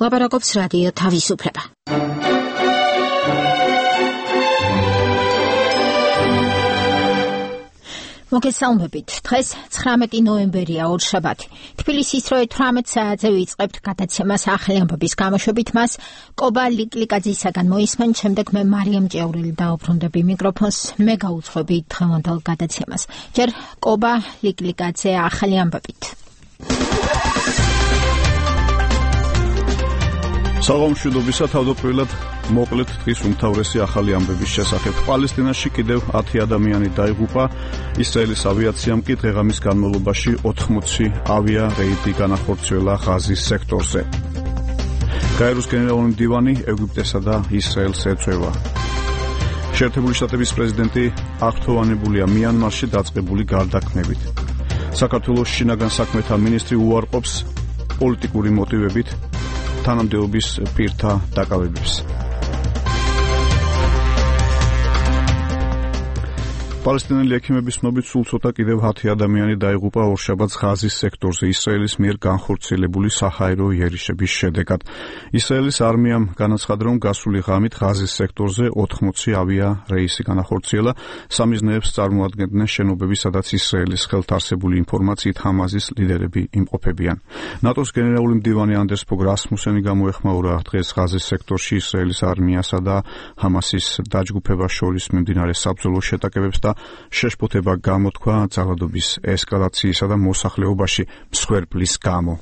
ლაპარაკობს რადიო თავისუფლება. მოგესალმებით. დღეს 19 ნოემბერია, ორშაბათი. თბილისის დროით 18 საათზე ვიწყებთ გადაცემას ახალი ამბების გამოშვებით. მას კობა ლიკლიკაძისაგან მოისმენთ, შემდეგ მე მარიამ ჭეურელი დაუბრუნდები მიკროფონს, მე გაუძღვები დღევანდელ გადაცემას. ჯერ კობა ლიკლიკაძე ახალი ამბებით. საღამოშვიდობისა, თავდაპირველად მოკლედ დღის უმთავრესი ახალი ამბების შესახებ. პალესტინაში კიდევ 10 ადამიანი დაიღუპა, ისრაელის ავიაციამ კი დღე-ღამის განმავლობაში 80 ავია რეიდი განახორციელა ღაზის სექტორზე. გაეროს გენერალური მდივანი ეგვიპტესა და ისრაელს ეწვევა. შეერთებული შტატების პრეზიდენტი აღფრთოვანებულია მიანმარში დაწყებული გარდაქმნებით. საქართველოს შინაგან საქმეთა მინისტრი უარყოფს პოლიტიკური მოტივებით თანამდებობის პირთა დაკავებებს. პალესტინელი ექიმების ცნობით სულ ცოტა კიდევ 10 ადამიანი დაიღუპა ორშაბათს ღაზის სექტორზე ისრაელის მიერ განხორციელებული საჰაერო იერიშების შედეგად. ისრაელის არმიამ განაცხადა, რომ გასული ღამით ღაზის სექტორზე 80 ავია რეისი განახორციელა. სამიზნეებს წარმოადგენდნენ შენობები, სადაც ისრაელის ხელთარსებული ინფორმაციით ჰამასის ლიდერები იმყოფებიან. ნატოს გენერალური მდივანი ანდერს ფოგ რასმუსენი გამოეხმაურა დღეს ღაზის სექტორში ისრაელის არმიასა და ჰამასის დაჯგუფებას შორის მიმდინარე საბრძოლო შეტაკებებს და შეშფოთება გამოთქვა ძალადობის ესკალაციისა და მოსახლეობაში მსხვერპლის გამო.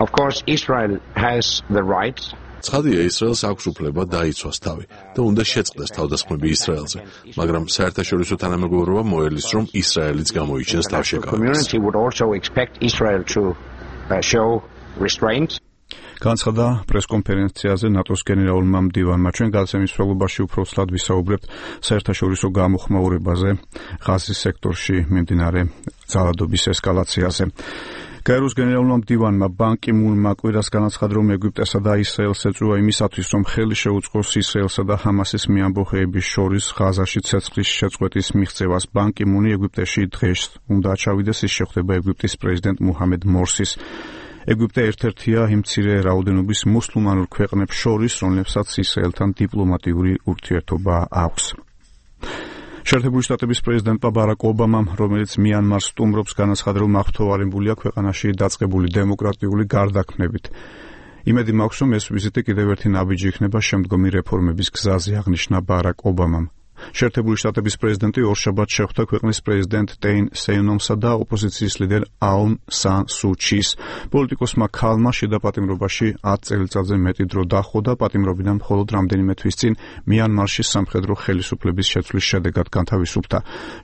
Of course, Israel has the right. ცხადია, ისრაელს აქვს უფლება დაიცვას თავი და უნდა შეწყდეს თავდასხმები ისრაელზე, მაგრამ საერთაშორისო თანამეგობრობა მოელის, რომ ისრაელიც გამოიჩენს თავშეკავებას. The community would also expect Israel to show restraint. განცხადა პრესკონფერენციაზე ნატოს გენერალურმა მდივანმა. ჩვენ გადაცემის მსვლელობაში უფრო ცლად ვისაუბრებთ საერთაშორისო გამოხმაურებაზე, ღაზის სექტორში მიმდინარე ძალადობის ესკალაციაზე. გაეროს გენერალურმა მდივანმა ბან კი მუნმა კვირას განაცხადა, რომ ეგვიპტესა და ისრაელს ეწვევა იმისათვის, რომ ხელი შეუწყოს ისრაელსა და ჰამასის მეამბოხეების შორის ღაზაში ცეცხლის შეწყვეტის მიღწევას. ბან კი მუნი ეგვიპტეში დღეს უნდა ჩავიდეს, ის შეხვდება ეგვიპტის პრეზიდენტ მუჰამედ მორსის. ეგვიპტე ერთ-ერთია იმ მცირე რაოდენობის მუსლიმანურ ქვეყნებს შორის, რომლებსაც ისრაელთან დიპლომატიური ურთიერთობა აქვს. შეერთებული შტატების პრეზიდენტმა ბარაკ ობამამ, რომელიც მიანმარს სტუმრობს, განაცხადა, რომ აღფრთოვანებულია ქვეყანაში დაწყებული დემოკრატიული გარდაქმნებით. იმედი მაქვს, რომ ეს ვიზიტი კიდევ ერთი ნაბიჯი იქნება შემდგომი რეფორმების გზაზე, აღნიშნა ბარაკ ობამამ. შეერთებული შტატების პრეზიდენტი ორშაბათს შეხვდა ქვეყნის პრეზიდენტ ტეინ სეინომსა და ოპოზიციის ლიდერ აუნ სან სუ ჩის. პოლიტიკოსმა ქალმა შიდა პატიმრობაში 10 წელიწადზე მეტი დრო დაჰყო და პატიმრობიდან მხოლოდ რამდენიმე თვის წინ მიანმარში სამხედრო ხელისუფლების შეცვლის შედეგად განთავისუფლდა.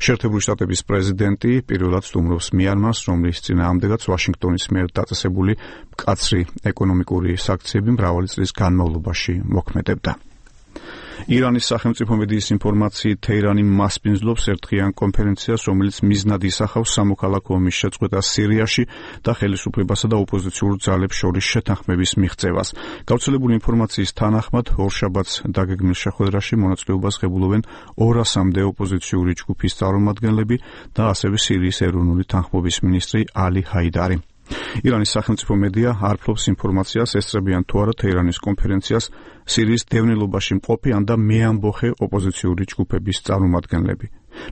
შეერთებული შტატების პრეზიდენტი პირველად სტუმრობს მიანმარს, რომლის წინააღმდეგაც ვაშინგტონის მიერ დაწესებული მკაცრი ეკონომიკური საქციები მრავალი წლის განმავლობაში მოქმედებდა. ირანის სახელმწიფო მედიის ინფორმაციით თეირანი მასპინძლობს ერთდღიან კონფერენციას, რომელიც მიზნად ისახავს სამოქალაქო ომის შეწყვეტას სირიაში და ხელისუფლებასა და ოპოზიციურ ძალებს შორის შეთანხმების მიღწევას. გავრცელებული ინფორმაციის თანახმად, ორშაბათს დაგეგმილ შეხვედრაში მონაწილეობას ღებულობენ 200-მდე ოპოზიციური ჯგუფის წარმომადგენლები და ასევე სირიის ეროვნული თანხმობის მინისტრი ალი ჰაიდარი. ირანის სახელმწიფო მედია არ ფლობს ინფორმაციას, ესწრებიან თუ არა თეირანის კონფერენციას სირიის დევნილობაში მყოფი ან და მეამბოხე ოპოზიციური ჯგუფების წარმომადგენლები.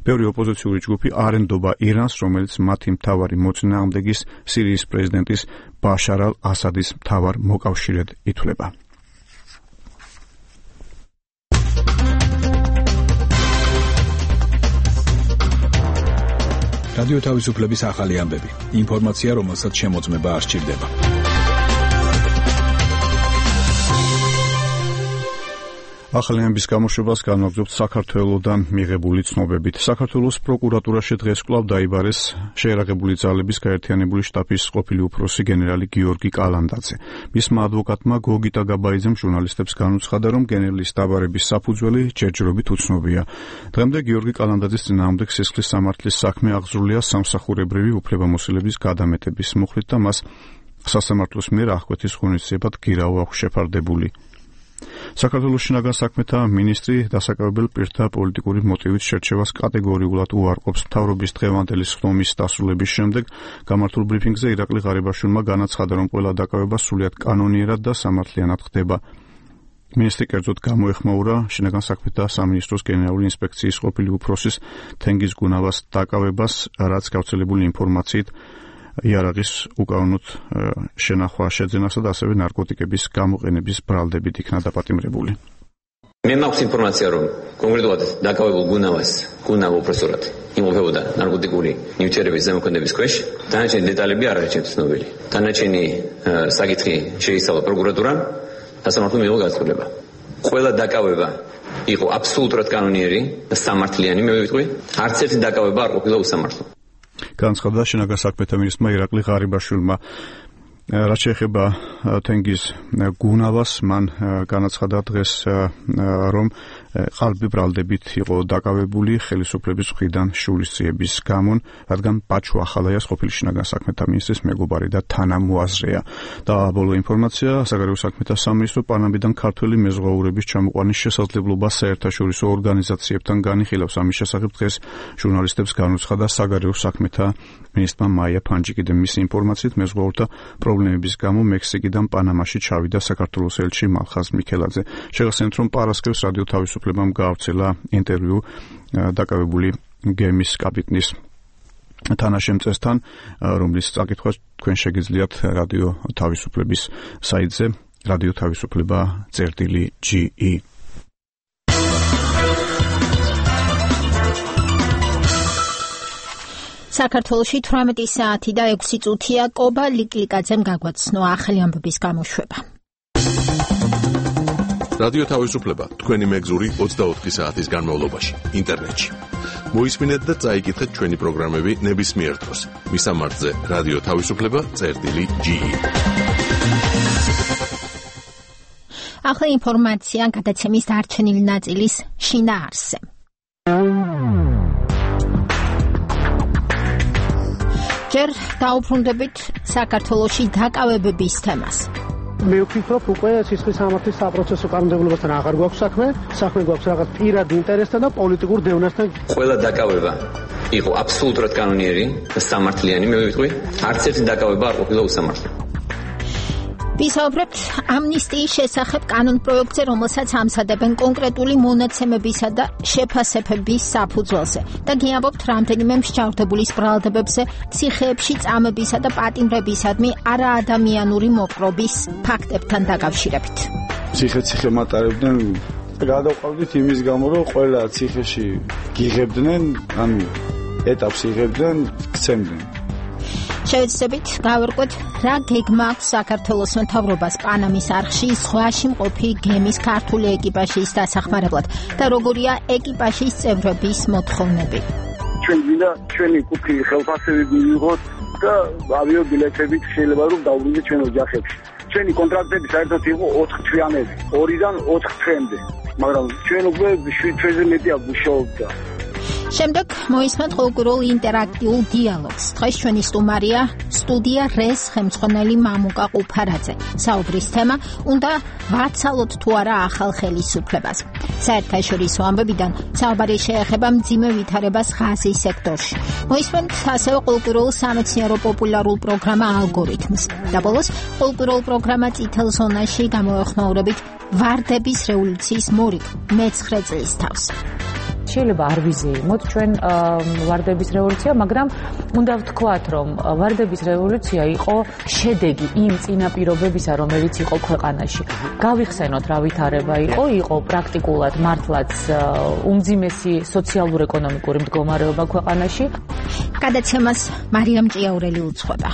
ბევრი ოპოზიციური ჯგუფი არ ენდობა ირანს, რომელიც მათი მთავარი მოწინააღმდეგის სირიის პრეზიდენტის ბაშარ ალ-ასადის მთავარ მოკავშირედ ითვლება. რადიო თავისუფლების ახალი ამბები. ინფორმაცია, რომელსაც შემოწმება არ სჭირდება. ახალი ამბების გამოშვებას განვაგრძობთ საქართველოსდან მიღებული ცნობებით. საქართველოს პროკურატურაში დღეს კვლავ დაიბარეს შეერაღებული ძალების გაერთიანებული შტაბის ყოფილი უფროსი გენერალი გიორგი კალანდაძე. მისმა ადვოკატმა გოგიტა გაბაიძემ ჟურნალისტებს განუცხადა, რომ გენერლის დაბარების საფუძველი ჯერჯერობით უცნობია. დღემდე გიორგი კალანდაძის წინააღმდეგ სისხლის სამართლის საქმე აღძრულია სამსახურებრივი უფლებამოსილების გადამეტების მუხლით და მას სასამართლოს მიერ აღკვეთის ღონისძიებად გირავ აქვს შეფარდებული. საქართველოს შინაგან საქმეთა მინისტრი დასაკავებელ პირთა პოლიტიკური მოტივით შერჩევას კატეგორიულად უარყოფს. მთავრობის დღევანდელი სხდომის დასრულების შემდეგ გამართულ ბრიფინგზე ირაკლი ღარიბაშვილმა განაცხადა, რომ ყველა დაკავება სრულიად კანონიერად და სამართლიანად ხდება. მინისტრი კერძოდ გამოეხმაურა შინაგან საქმეთა სამინისტროს გენერალური ინსპექციის ყოფილი უფროსის თენგიზ გუნავას დაკავებას, რაც გავრცელებული ინფორმაციით იარაღის უკანონოდ შენახვა შეძენასა და ასევე ნარკოტიკების გამოყენების ბრალდებით იქნა დაპატიმრებული. მე მაქვს ინფორმაცია, რომ კონკრეტულად დაკავებულ გუნავა უპროსურად იმყოფებოდა ნარკოტიკული ნივთიერების ზემოქმედების ქვეშ. დანარჩენი დეტალები არ არის ჩემთვის ცნობილი. დანარჩენი საკითხი შეისწავლა პროკურატურამ და სამართლომ მიიღო გასწავლება. ყველა დაკავება იყო აბსოლუტურად კანონიერი და სამართლიანი, მე ვიტყვი. არც ერთი დაკავება არ ყოფილა უსამართლო. განცხადა შინაგან საქმეთა მინისტრმა ირაკლი ღარიბაშვილმა. რაც შეეხება თენგიზ გუნავას, მან განაცხადა დღეს, რომ ყალბი ბრალდებით იყო დაკავებული ხელისუფლების მხრიდან შურისძიების გამო, რადგან ბაჩუ ახალაიას ყოფილი შინაგან საქმეთა მინისტრის მეგობარი და თანამოაზრეა. და ბოლო ინფორმაცია, საგარეო საქმეთა სამინისტრო პანამიდან ქართველი მეზღვაურების ჩამოყვანის შესაძლებლობას საერთაშორისო ორგანიზაციებთან განიხილავს. ამის შესახებ დღეს ჟურნალისტებს განუცხადა საგარეო საქმეთა მინისტრმა მაია ფანჯიკი. მისი ინფორმაციით მეზღვაურთა პრობლემების გამო მექსიკიდან პანამაში ჩავიდა საქართველოს ელჩი მალხაზ მიქელაძე. შეგახსენებთ, რომ პარასკევს რადიო თავისუფლებამ გაავრცელა ინტერვიუ დაკავებული გემის კაპიტნის თანაშემწესთან, რომლის წაკითხვა თქვენ შეგიძლიათ რადიო თავისუფლების საიტზე რადიო თავისუფლება.ge. საქართველოში 18 საათი და 6 წუთია კობა ლიკლიკაძემ გაგვაცნო ახალი ამბების გამოშვება. რადიო თავისუფლება თქვენი მეგზური 24 საათის განმავლობაში ინტერნეტში. მოისმინეთ და წაიკითხეთ ჩვენი პროგრამები ნებისმიერ დროს. მისამართზე რადიო თავისუფლება.ge. ახლა ინფორმაცია გადაცემის დარჩენილი ნაწილის შინაარსზე. ჯერ დაუბრუნდებით საქართველოში დაკავებების თემას. მე ვფიქრობ, უკვე სისხლის სამართლის საპროცესო კანონმდებლობასთან აღარ გვაქვს საქმე გვაქვს რაღაც პირად ინტერესთან და პოლიტიკურ დევნასთან. ყველა დაკავება იყო აბსოლუტურად კანონიერი და სამართლიანი, მე ვიტყვი. არც ერთი დაკავება არ ყოფილა უსამართლო. ვისაუბრებთ ამნისტიის შესახებ კანონპროექტზე, რომელსაც ამზადებენ კონკრეტული მონაცემებისა და შეფასებების საფუძველზე და გიამბობთ რამდენიმე მსჯავრდებულის ბრალდებებზე ციხეებში წამებისა და პატიმრებისადმი არაადამიანური მოპყრობის ფაქტებთან დაკავშირებით. ციხე მატარებდნენ გადავყავდით იმის გამო, რომ ყველა ციხეში გიღებდნენ, ანუ ეტაპს იღებდნენ, გცემდნენ. შევეცდებით გავერკვეთ, რა გეგმა აქვს საქართველოს მთავრობას პანამის არხში ზღვაში მყოფი გემის ქართული ეკიპაჟის დასახმარებლად და როგორია ეკიპაჟის წევრების მოთხოვნები. ჩვენ გვინდა ჩვენი კუთხი ხელფასები მივიღოთ და ავიაბილეთებით შეიძლება რომ დავბრუნდეთ ჩვენ ოჯახებში. ჩვენი კონტრაქტები საერთოდ იყო 4 თვიანები, 2-დან 4 თვემდე, მაგრამ ჩვენ უკვე ჩვენზე მეტი აგვიშოვდა. შემდეგ მოისმენთ ყოველკვირეულ ინტერაქტიულ დიალოგს. დღეს ჩვენი სტუდია რეს ხელმძღვანელი მამუკა ყუფარაძე. საუბრის თემა უნდა ვაცალოთ თუ არა ახალ ხელისუფლებას. საერთაშორისო ამბებიდან საუბარი შეეხება მძიმე ვითარებას ღაზის სექტორში. მოისმენთ ასევე ყოველკვირეულ სამეცნიერო პოპულარულ პროგრამა ალგორითმს. და ბოლოს ყოველკვირეულ პროგრამა წითელ ზონაში გამოეხმაურებით ვარდების რევოლუციის მორიგ მე-9 წლის თავს. შეიძლება არ ვიზეიმოთ ჩვენ ვარდების რევოლუცია, მაგრამ უნდა ვთქვათ, რომ ვარდების რევოლუცია იყო შედეგი იმ წინაპირობებისა, რომელიც იყო ქვეყანაში. გავიხსენოთ რა ვითარება იყო პრაქტიკულად მართლაც უმძიმესი სოციალურ-ეკონომიკური მდგომარეობა ქვეყანაში. გადაცემას მარიამ ჭიაურელი უძღვება.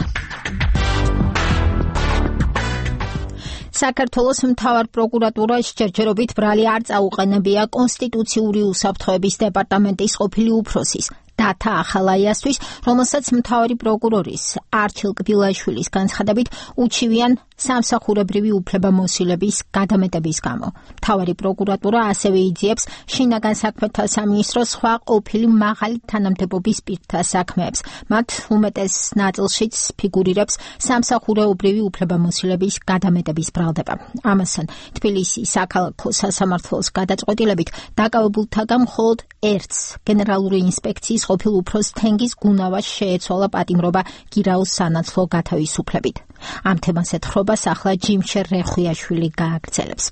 საქართველოს მთავარ პროკურატურას ჯერჯერობით ბრალი არ წაუყენებია კონსტიტუციური უსაფრთხოების დეპარტამენტის ყოფილი უფროსის დათა ახალაიასთვის, რომელსაც მთავარი პროკურორის არჩილ კბილაშვილის განცხადებით უჩივიან სამსახურებრივი უფლებამოსილების გადამეტების გამო. მთავარი პროკურატურა ასევე იძიებს შინაგან საქმეთა სამინისტროს სხვა ყოფილი მაღალი თანამდებობის პირთა საქმეებს. მათ უმეტეს ნაწილშიც ფიგურირებს სამსახურებრივი უფლებამოსილების გადამეტების ბრალდება. ამასთან, თბილისის საქალაქო სასამართლოს გადაწყვეტილებით დაკავებულთაგან მხოლოდ ერთს გენერალური ინსპექციის ყოფილ უფროს თენგიზ გუნავას შეეცვალა პატიმრობა გირაოს სანაცვლო გათავისუფლებით. ამ თემას ეთხრობას ახლა ჯიმშერ რეხვიაშვილი გააგრძელებს.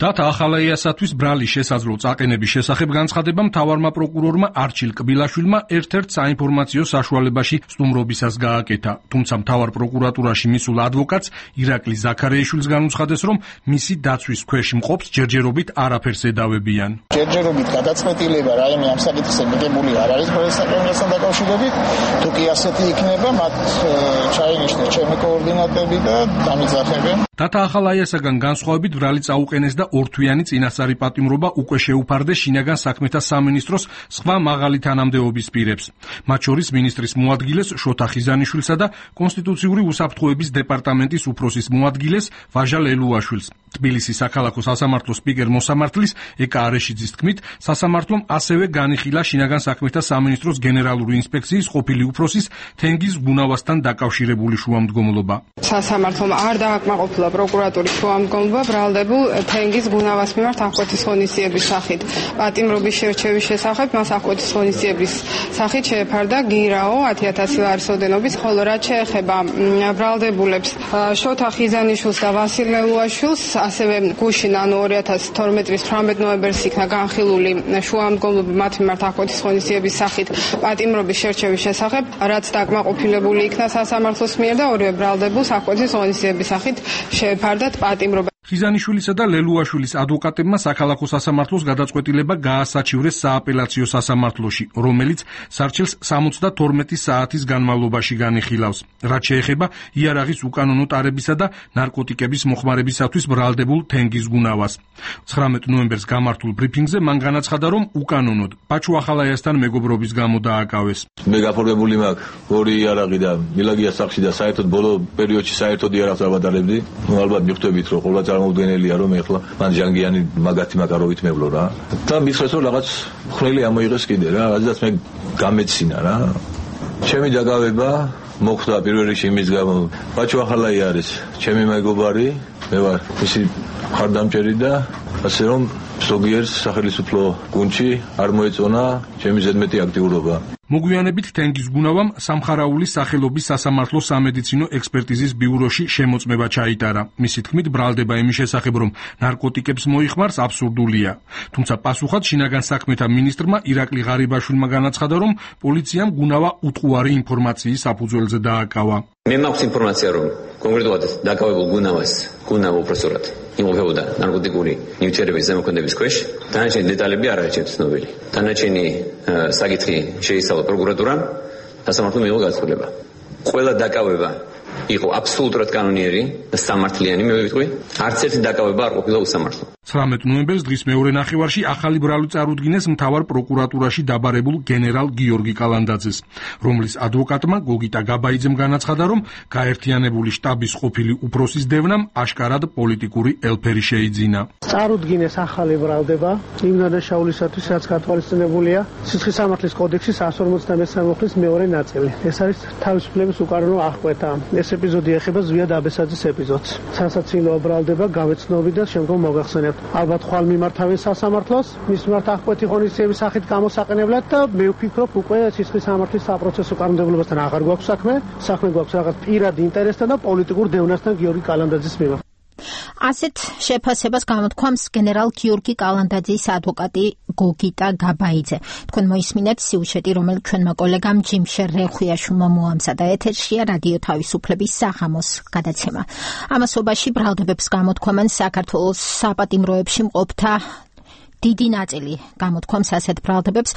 დათა ახალაიასათვის ბრალის შესაძლო წაყენების შესახებ განცხადება მთავარმა პროკურორმა არჩილ კბილაშვილმა ერთ-ერთ საინფორმაციო საშუალებაში სტუმრობისას გააკეთა. თუმცა მთავარ პროკურატურაში მისულ ადვოკატს ირაკლი ზაქარიაშვილს განუცხადეს, რომ მისი დაცვის ქვეშ მყოფს ჯერჯერობით არაფერს ედავებიან. ჯერჯერობით გადაწყვეტილება რაიმე ამ საკითხზე მიღებული არ არის პრესაკრებასთან დაკავშირებით. თუ კი ასეთი იქნება, მათ ჩაინიშნეს ჩემი კოორდინატები და დამიძახებენ. დათა ახალაიასაგან განსხვავებით ბრალი წაუყენეს და ორთვიანი წინასწარი პატიმრობა უკვე შეუფარდეს შინაგან საქმეთა სამინისტროს სხვა მაღალი თანამდებობის პირებს. მათ შორის მინისტრის მოადგილეს შოთა ხიზანიშვილსა და კონსტიტუციური უსაფრთხოების დეპარტამენტის უფროსის მოადგილეს ვაჟა ლელუაშვილს. თბილისის საქალაქო სასამართლოს სპიკერ მოსამართლის ეკა არეშიძის თქმით, სასამართლომ ასევე განიხილა შინაგან საქმეთა სამინისტროს გენერალური ინსპექციის ყოფილი უფროსის თენგიზ გუნავასთან დაკავშირებული შუამდგომლობა. სასამართლომ არ დააკმაყოფილა პროკურატურის შუამდგომლობა ბრალდებულ თენგიზ გუნავას მიმართ აღკვეთის ღონისძიების სახით. პატიმრობის შერჩევის შესახებ მას აღკვეთის ღონისძიების სახით შეეფარდა გირაო 10,000 ლარის ოდენობის, ხოლო რაც შეეხება ბრალდებულებს შოთა ხიზანიშვილს და ვასილ ლელუაშვილს, ასევე გუშინ, ანუ 2012 წლის 18 ნოემბერს იქნა განხილული შუამდგომლობა მათ მიმართ აღკვეთის ღონისძიების სახით პატიმრობის შერჩევის შესახებ, რაც დაკმაყოფილებული იქნა სასამართლოს მიერ და ორივე ბრალდებულს აღკვეთის ღონისძიების სახით შეეფარდათ პატიმრობა. ხიზანიშვილისა და ლელუაშვილის ადვოკატებმა საქალაქო სასამართლოს გადაწყვეტილება გაასაჩივრეს სააპელაციო სასამართლოში, რომელიც სარჩელს 72 საათის განმავლობაში განიხილავს. რაც შეეხება იარაღის უკანონო ტარებისა და ნარკოტიკების მოხმარებისათვის ბრალდებულ თენგიზ გუნავას. 19 ნოემბერს გამართულ ბრიფინგზე მან განაცხადა, რომ უკანონოდ პაჩუ ახალაიასთან მეგობრობის გამო დააკავეს. მე გაფორმებული მაქვს ორი იარაღი და მილაგია სახში და საერთოდ ბოლო პერიოდში საერთოდ იარაღს ავადარებდი. ალბათ მიხვდებით, რომ ყოველ წარმოუდგენელია, რომ ეხლა მან ჟანგიანი მაგათი მაკაროვით მევლო რა. და მითხრეს, რომ რაღაც ხვრელი ამოიღეს კიდე რა, რადგან მე გამეცინა რა. ჩემი დაკავება მოხდა პირველ რიგში იმის გამო, პაჩუ ახალაია არის ჩემი მეგობარი, მე ვარ მისი მხარდამჭერი და ასე რომ ზოგიერთ სახელმწიფო გუნდში არ მოეწონა ჩემი ზედმეტი აქტიურობა. მოგვიანებით თენგიზ გუნავამ სამხარაულის სახელობის სასამართლოს სამედიცინო ექსპერტიზის ბიუროში შემოწმება ჩაიტარა. მისი თქმით, ბრალდება იმის შესახებ, რომ ნარკოტიკებს მოიხმარს, აბსურდულია. თუმცა პასუხად შინაგან საქმეთა მინისტრმა ირაკლი ღარიბაშვილმა განაცხადა, რომ პოლიციამ გუნავა უტყუარი ინფორმაციის საფუძველზე დააკავა. მე მაქვს ინფორმაცია, რომ კონკრეტულად დაკავებულ გუნავა უпроსტურად იმყოფებოდა ნარკოტიკული ნივთიერების ზემოქმედების ქვეშ. დანარჩენი დეტალები არ არის ჩემთვის ცნობილი. დანარჩენი საკითხი შეისწავლა პროკურატურამ, სასამართლომ მიიღო გადაწყვეტილება. ყველა დაკავება იყო აბსოლუტურად კანონიერი და სამართლიანი, მე ვიტყვი. არც ერთი დაკავება არ ყოფილა უსამართლო. 19 ნოემბერს დღის მეორე ნახევარში ახალი ბრალი წარუდგინეს მთავარ პროკურატურაში დაბარებულ გენერალ გიორგი კალანდაძეს, რომლის ადვოკატმა გოგიტა გაბაიძემ განაცხადა, რომ გაერთიანებული შტაბის ყოფილი უფროსის დევნამ აშკარად პოლიტიკური ელფერი შეიძინა. წარუდგინეს ახალი ბრალდება იმ დანაშაულისათვის, რაც გათვალისწინებულია სისხლის სამართლის კოდექსის 153 მუხლის მეორე ნაწილი. ეს არის თავისუფლების უკანონო აღკვეთა. ეს ეპიზოდი ეხება ზვია დაბესაძის ეპიზოდს. სასაცილო ბრალდება გავეცნობი და შემდგომ მოგახსენებთ. ალბათ ხვალ მიმართავენ სასამართლოს, მის მიმართ აღკვეთი ღონისძიების სახით გამოსაყენებლად და მე ვფიქრობ, უკვე სისხლის სამართლის საპროცესო კანონმდებლობასთან აღარ გვაქვს საქმე გვაქვს რაღაც პირადი ინტერესთან და პოლიტიკურ დევნასთან გიორგი კალანდაძის მიმართ. ასეთ შეფასებას გამოთქვამს გენერალ გიორგი კალანდაძის ადვოკატი გოგიტა გაბაიძე. თქვენ მოისმინეთ სიუჟეტი, რომელიც ჩვენმა კოლეგამ ჯიმშერ რეხვიაშვილმა მოამზადა. ეთერშია რადიო თავისუფლების საღამოს გადაცემა. ამასობაში ბრალდებებს გამოთქვამენ საქართველოს საპატიმროებში მყოფთა დიდი ნაწილი გამოთქვამს ასეთ ბრალდებებს.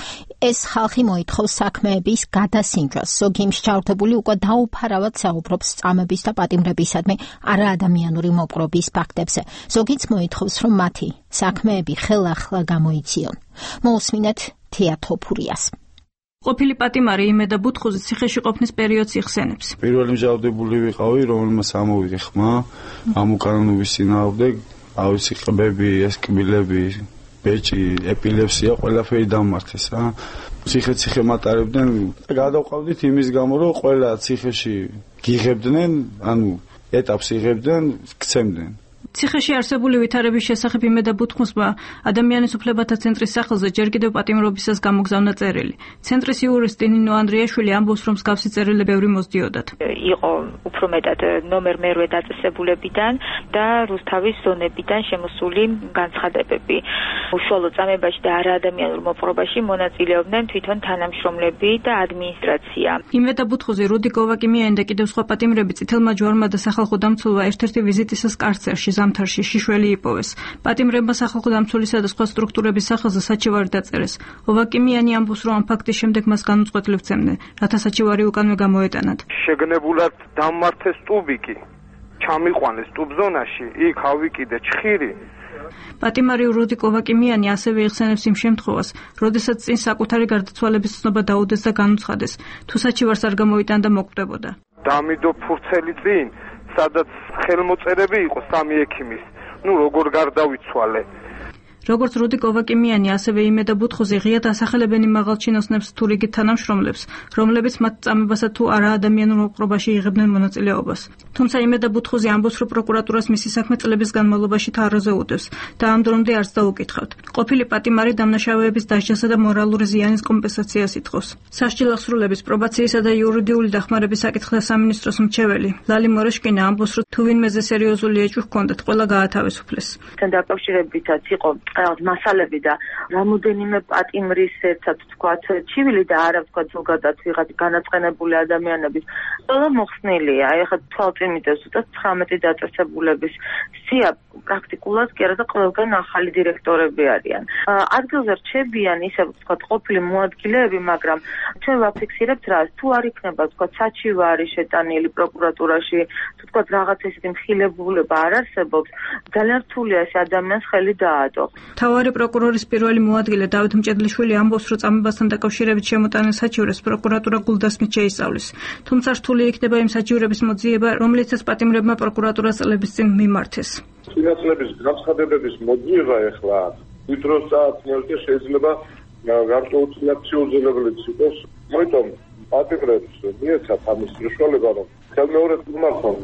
ეს ხალხი მოითხოვს საქმეების გადასინჯვას. ზოგი მსჯავრდებული უკვე დაუფარავად საუბრობს წამების და პატიმრებისადმი არაადამიანური მოპყრობის ფაქტებზე. ზოგიც მოითხოვს, რომ მათი საქმეები ხელახლა გამოიციონ. მოусმინეთ თეატოფურიას. ყოფილი პატიმარი იმედა ბუთხუზი ციხეში ყოფნის პერიოდს იხსენებს. პირველი მსჯავრდებული ვიყავი, რომელმაც ამოვიდა ხმა ამ უკანონობის წინააღმდეგ, ავიცი ყბები, ესკბილები, ბეჭი, ეპილეფსია, ყველაფერი დამმართეს რა. ციხე მატარებდნენ და გადავყავდით იმის გამო, რომ ყველა ციხეში გიღებდნენ, ანუ ეტაპს იღებდნენ, გცემდნენ. ციხეში არსებული ვითარების შესახებ იმედა ბუთხუსმა ადამიანის უფლებათა ცენტრის სახელზე ჯერ კიდევ პატიმრობისას გამოგზავნა წერილი. ცენტრის იურისტი ნინო ანდრიაშვილი ამბობს, რომ მსგავსი წერილი ბევრი მოსდიოდათ. იყო უფრო მეტად ნომერ მერვე დაწესებულებიდან და რუსთავის ზონებიდან შემოსული განცხადებები. უშუალო წამებაში და არაადამიანურ მოპყრობაში მონაწილეობდნენ თვითონ თანამშრომლები და ადმინისტრაცია. იმედა ბუთხუზი, რუდი გოვაკიმიანი და კიდევ სხვა პატიმრები წითელმა ჯვარმა და სახალხო დამცველმა ერთ-ერთი ვიზიტისას კარცერში ზამთარში შიშველი იპოვეს. პატიმრებმა სახალხო დამცველისა და სხვა სტრუქტურების სახელზე საჩივარი დაწერეს. ოვაკიმიანი ამბობს, რომ ამ ფაქტის შემდეგ მას განუწყვეტლივ ცემდნენ, რათა საჩივარი უკანვე გამოეტანათ. შეგნებულად დამმართეს ტუბიკი, ჩამიყვანეს ტუბზონაში, იქ ავიკიდე ჩხირი. პატიმარი რუდი გოვაკიმიანი ასევე იხსენებს იმ შემთხვევას, როდესაც წინ საკუთარი გარდაცვალების ცნობა დაუდეს და განუცხადეს, თუ საჩივარს არ გამოიტანდა მოკვდებოდა. დამიდო ფურცელი წინ, სადაც ხელმოწერები იყო 3 ექიმის. როგორ გარდავიცვალე. როგორც რუდი გოვაკიმიანი, ასევე იმედა ბუთხუზი ღიად ასახელებენ იმ მაღალჩინოსნებს თუ რიგით თანამშრომლებს, რომლებიც მათ წამებასა თუ არაადამიანურ მოპყრობაში იღებდნენ მონაწილეობას. თუმცა იმედა ბუთხუზი ამბობს, რომ პროკურატურას მისი საქმე წლების განმავლობაში თაროზე უდევს და ამ დრომდე არც დაუკითხავთ. ყოფილი პატიმარი დამნაშავეების დასჯასა და მორალური ზიანის კომპენსაციას ითხოვს. სასჯელ აღსრულების, პრობაციისა და იურიდიული დახმარების საკითხთა სამინისტროს მრჩეველი ლალი მორეშკინა ამბობს, რომ თუ ვინმეზე სერიოზული ეჭვი ჰქონდათ, ყველა გაათავისუფლეს. თან დაკავშირებითაც იყო მასალები და რამოდენიმე პატიმრის ერთად თქვათ ჩივილი და არა თქვათ ზოგადად ვიღაც განაწყენებული ადამიანების ყველა მოხსნილია. აი ხა თვალწინ მიდევს უბრალოდ 19 დაწესებულების სია პრაქტიკულად კი არა და ყველგან ახალი დირექტორები არიან. ადგილზე რჩებიან ისე თქვათ ყოფილი მოადგილეები, მაგრამ ჩვენ ვაფიქსირებთ რა, თუ არ იქნება თქვათ საჩივარი შეტანილი პროკურატურაში, თუ თქვათ რაღაც ესეთი მხილებულება არ არსებობს, ძალიან რთულია ეს ადამიანს ხელი დაადო. მთავარი პროკურორის პირველი მოადგილე დავით მჭედლიშვილი ამბობს, რომ წამებასთან დაკავშირებით შემოტანილ საჩივრებს პროკურატურა გულდასმით შეისწავლის. თუმცა რთული იქნება იმ საჩივრების მოძიება, რომლითაც პატიმრებმა პროკურატურას წლების წინ მიმართეს. წინაწლების განცხადებების მოძიება ეხლა ვიდროს წაათმევს შეიძლება გარკვეულწილად შეუძლებელიც იყოს. მოიტომ პატიმრებს მიეცათ ამის საშუალება, რომ ხელმეორედ მიმართონ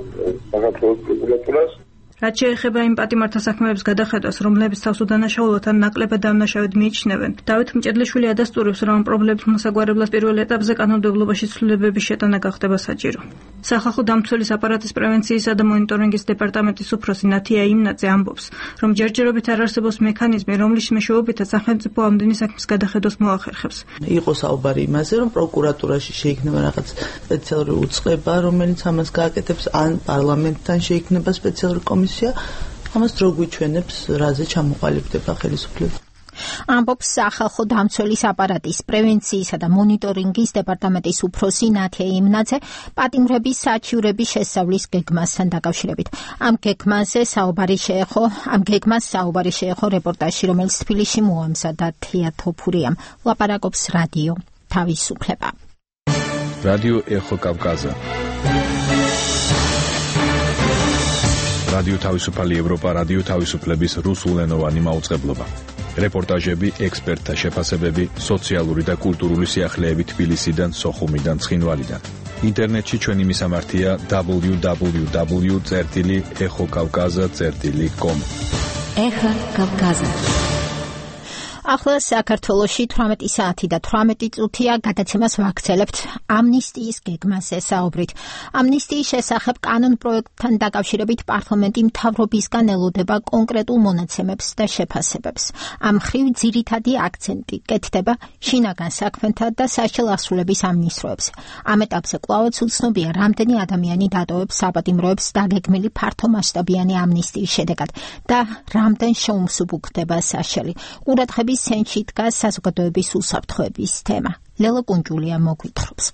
საქართველოს პროკურატურას. რაც შეეხება იმ პატიმართა საქმეების გადახედვას, რომლებიც თავს უდანაშაულოდ ან ნაკლებად დამნაშავედ მიიჩნევენ, დავით მჭედლიშვილი ადასტურებს, რომ ამ პრობლემებს მოსაგვარებლად პირველ ეტაპზე კანონმდებლობაში ცვლილებების შეტანა გახდება საჭირო. სახალხო დამცველის აპარატის პრევენციისა და მონიტორინგის დეპარტამენტის უფროსი ნათია იმნაძე ამბობს, რომ ჯერჯერობით არ არსებობს მექანიზმი, რომლის მეშვეობითაც სახელმწიფო ამდენი საქმის გადახედვას მოახერხებს. იყო საუბარი იმაზე, რომ პროკურატურაში შეიქმნება რაღაც სპეციალური უწყება, რომელიც ამას გააკეთებს, ან პარლამენტთან შეიქმნება სპეციალური კომისია. ამას რო გვიჩვენებს, რაზე ჩამოყალიბდება ხელისუფლება. ამბობს სახალხო დამცველის აპარატის პრევენციისა და მონიტორინგის დეპარტამენტის უფროსი ნათია იმნაძე პატიმრების საჩივრების შესწავლის გეგმასთან დაკავშირებით. ამ გეგმას საუბარი შეეხო რეპორტაჟში, რომელიც თბილისში მოამზადა თია თოფურიამ. ლაპარაკობს რადიო თავისუფლება. რადიო ეხო კავკაზა. რადიო თავისუფალი ევროპა, რადიო თავისუფლების რუსულენოვანი მაუწყებლობა. რეპორტაჟები, ექსპერტთა შეფასებები, სოციალური და კულტურული სიახლეები თბილისიდან, სოხუმიდან, ცხინვალიდან. ინტერნეტში ჩვენი მისამართია www.ეხოკავკაზა.com. ეხა კავკაზა. ახლა საქართველოში 18 საათი და 18 წუთია გადაცემას ვაგრძელებთ ამნისტიის გეგმაზე საუბრით. ამნისტიის შესახებ კანონ პროექტთან დაკავშირებით პარლამენტი მთავრობისგან ელოდება კონკრეტულ მონაცემებს და შეფასებებს. ამ მხრივ ძირითადი აქცენტი კეთდება შინაგან საქმეთა და სასჯელ ასრულების ამნისტროებზე. ამ ეტაპზე კვლავაც უცნობია, რამდენი ადამიანი დატოვებს საპატიმროებს დაგეგმილი ფართომასშტაბიანი ამნისტიის შედეგად და რამდენ შეუმსუბუქდება სასჯელი. ყურადღების ცენტრში დგას საზოგადოების უსაფრთხოების თემა. ლელა კუნჯულია მოგვითხრობს.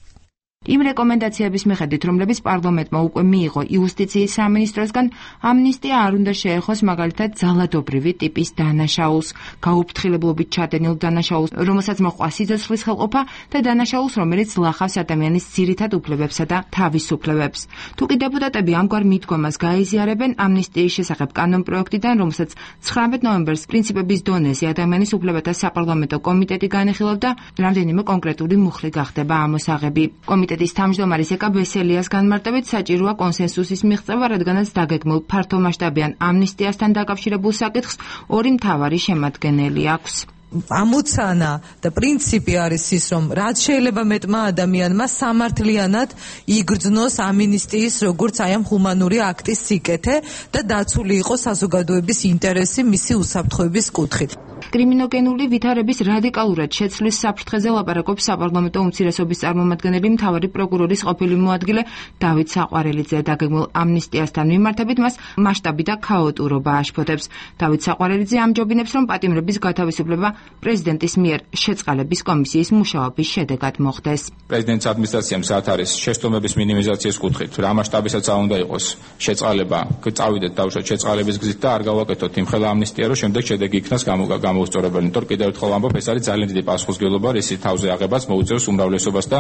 იმ რეკომენდაციების მიხედვით, რომლებიც პარლამენტმა უკვე მიიღო იუსტიციის სამინისტროსგან, ამნისტია არ უნდა შეეხოს მაგალითად ძალადობრივი ტიპის დანაშაულს, გაუფრთხილებლობით ჩადენილ დანაშაულს, რომელსაც მოჰყვა სიცოცხლის ხელყოფა და დანაშაულს, რომელიც ლახავს ადამიანის ძირითად უფლებებსა და თავისუფლებებს. თუ კი დეპუტატები ამგვარ მიდგომას გაიზიარებენ ამნისტიის შესახებ კანონპროექტიდან, რომელსაც 19 ნოემბერს პრინციპების დონეზე ადამიანის უფლებათა საპარლამენტო კომიტეტი განიხილავდა, რამდენიმე კონკრეტული მუხლი გახდება ამოსაღები. კომიტეტის თავმჯდომარის ეკა ბესელიას განმარტებით საჭიროა კონსენსუსის მიღწევა, რადგანაც დაგეგმილ ფართომასშტაბიან ამნისტიასთან დაკავშირებულ საკითხს ორი მთავარი შემადგენელი აქვს. ამოცანა და პრინციპი არის ის, რომ რაც შეიძლება მეტმა ადამიანმა სამართლიანად იგრძნოს ამინისტიის როგორც აი ამ ჰუმანური აქტის სიკეთე და დაცული იყოს საზოგადოების ინტერესი მისი უსაფრთხოების კუთხით. კრიმინოგენული ვითარების რადიკალურად შეცვლის საფრთხეზე ლაპარაკობს საპარლამენტო უმცირესობის წარმომადგენელი მთავარი პროკურორის ყოფილი მოადგილე დავით საყვარელიძე. დაგეგმილ ამნისტიასთან მიმართებით მას მასშტაბი და ქაოტურობა აშფოთებს. დავით საყვარელიძე ამჯობინებს, რომ პატიმრების გათავისუფლება პრეზიდენტის მიერ შეწყალების კომისიის მუშაობის შედეგად მოხდეს. პრეზიდენტის ადმინისტრაციამ საათ არის შეცდომების მინიმიზაციის კუთხით, რა მასშტაბისაც უნდა იყოს შეწყალება, წავიდეთ დავუშვათ შეწყალების გზით და არ გავაკეთოთ იმხელა ამნისტია, რომ შემდეგ შედეგი იქნას გამოუსწორებელი. თორე კიდევ ერთხელ ვამბობ, ეს არის ძალიან დიდი პასუხისმგებლობა, რისი თავზე აღებას მოუწევს უმრავლესობას და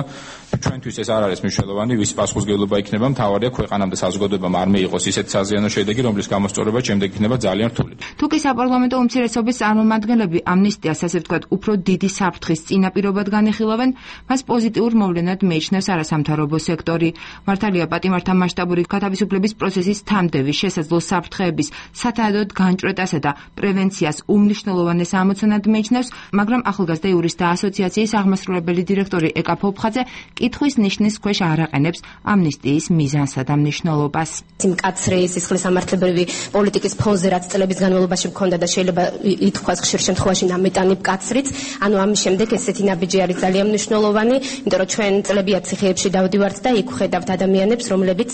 ჩვენთვის ეს არ არის მნიშვნელოვანი, ვის პასუხისმგებლობა იქნება, მთავარია ქვეყანამ და საზოგადოებამ არ მიიღოს ისეთ საზიანო შედეგი, რომლის გამოსწორება შემდეგ იქნება ძალიან რთული. თუ კი საპარლამენტო უმცირესობის წარმომადგენლები ამნისტიას, ასე ვთქვათ, უფრო დიდი საფრთხის წინაპირობად განიხილავენ, მას პოზიტიურ მოვლენად მიიჩნევს არასამთავრობო სექტორი. მართალია პატიმართა მასშტაბური გათავისუფლების პროცესის თამდევი შესაძლო საფრთხეების სათანადოდ განჭვრეტასა და პრევენციას უმნიშვნელოვანეს ამოცანად მიიჩნევს, მაგრამ ახალგაზრდა იურისტთა ასოციაციის აღმასრულებელი დირექტორი ეკა ფოფხაძე კითხვის ნიშნის ქვეშ არ აყენებს ამნისტიის მიზანსა და მნიშვნელობას. მკაცრი სისხლის სამართლებრივი პოლიტიკის ფონზე რაც წლების განმავლობაში მქონდა და შეიძლება ითქვას ხშირ შემთხვევაში ნამეტანი მკაცრიც, ანუ ამის შემდეგ ესეთი ნაბიჯი არის ძალიან მნიშვნელოვანი, იმიტომ რომ ჩვენ წლებია ციხეებში დავდივართ და იქ ვხედავთ ადამიანებს, რომლებიც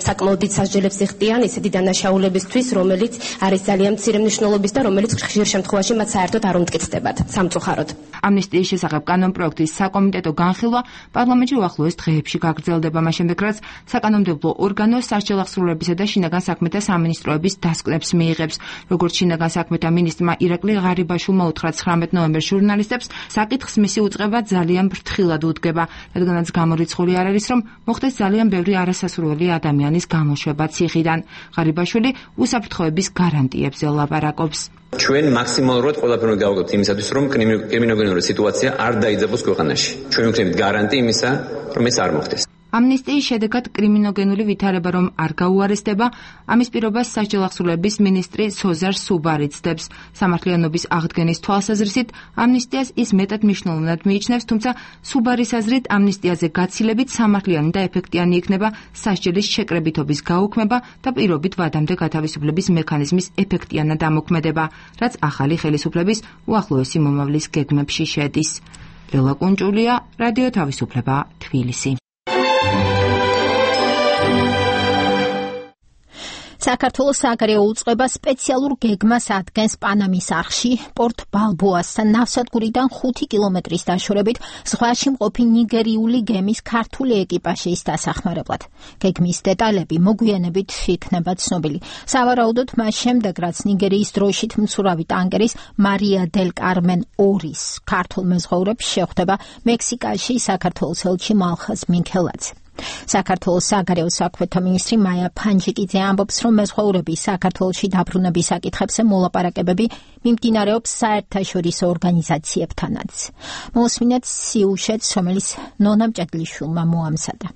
საკმაოდ დიდ სასჯელებს იხდიან ისეთი დანაშაულებისთვის, რომელიც არის ძალიან მცირე მნიშვნელობის და რომელიც ხშირ შემთხვევაში მათ საერთოდ არ უმტკიცდებათ სამწუხაროდ. ამნისტიის შესახებ კანონპროექტის საკომიტეტო განხილვა პარლამენტში უახლოეს დღეებში გაგრძელდება, მას შემდეგ რაც საკანონმდებლო ორგანო სასჯელახსრულებისა და შინაგან საქმეთა სამინისტროების დასკვნებს მიიღებს. როგორც შინაგან საქმეთა მინისტრმა ირაკლი ღარიბაშვილმა უთხრა 19 ნოემბერს ჟურნალისტებს, საკითხს მისი უწყება ძალიან ფრთხილად უდგება, რადგანაც გამორიცხული არ არის, რომ მოხდეს ძალიან ბევრი არასასურველი ადამიანის გამოშვება ციხიდან. ღარიბაშვილი უსაფრთხოების გარანტიებზე ლაპარაკობს. ჩვენ მაქსიმალურად ყველაფერს გავაკეთებთ იმისათვის, რომ კრიმინოგენური სიტუაცია არ დაიძაბოს ქვეყანაში. ჩვენ ვიქნებით გარანტი იმისა, რომ ეს არ მოხდეს. ამნისტიის შედეგად კრიმინოგენული ვითარება რომ არ გაუარესდება, ამის პირობას სასჯელახსრულების მინისტრი სოზარ სუბარი ცდებს. სამართლიანობის აღდგენის თვალსაზრისით ამნისტიას ის მეტად მნიშვნელოვნად მიიჩნევს, თუმცა სუბარის აზრით ამნისტიაზე გაცილებით სამართლიანი და ეფექტიანი იქნება სასჯელის შეკრებითობის გაუქმება და პირობით ვადამდე გათავისუფლების მექანიზმის ეფექტიანად ამოქმედება, რაც ახალი ხელისუფლების უახლოესი მომავლის გეგმებში შედის. ლელა კუნჭულია, რადიო თავისუფლება, თბილისი. საქართველოს საგარეო უწყება სპეციალურ გეგმას ადგენს პანამის არხში, პორტ ბალბოასთან ნავსადგურიდან 5 კილომეტრის დაშორებით ზღვაში მყოფი ნიგერიული გემის ქართული ეკიპაჟის დასახმარებლად. გეგმის დეტალები მოგვიანებით იქნება ცნობილი. სავარაუდოდ მას შემდეგ, რაც ნიგერიის დროშით მცურავი ტანკერის მარია დელ კარმენ 2-ის ქართულ მეზღვაურებს შეხვდება მექსიკაში საქართველოს ელჩი მალხაზ მიქელაძე. საქართველოს საგარეო საქმეთა მინისტრი მაია ფანჯიკიძე ამბობს, რომ მეზღვაურების საქართველოში დაბრუნების საკითხებზე მოლაპარაკებები მიმდინარეობს საერთაშორისო ორგანიზაციებთანაც. მოусმინეთ სიუჟეტს, რომელიც ნონა მჭედლიშვილმა მოამზადა.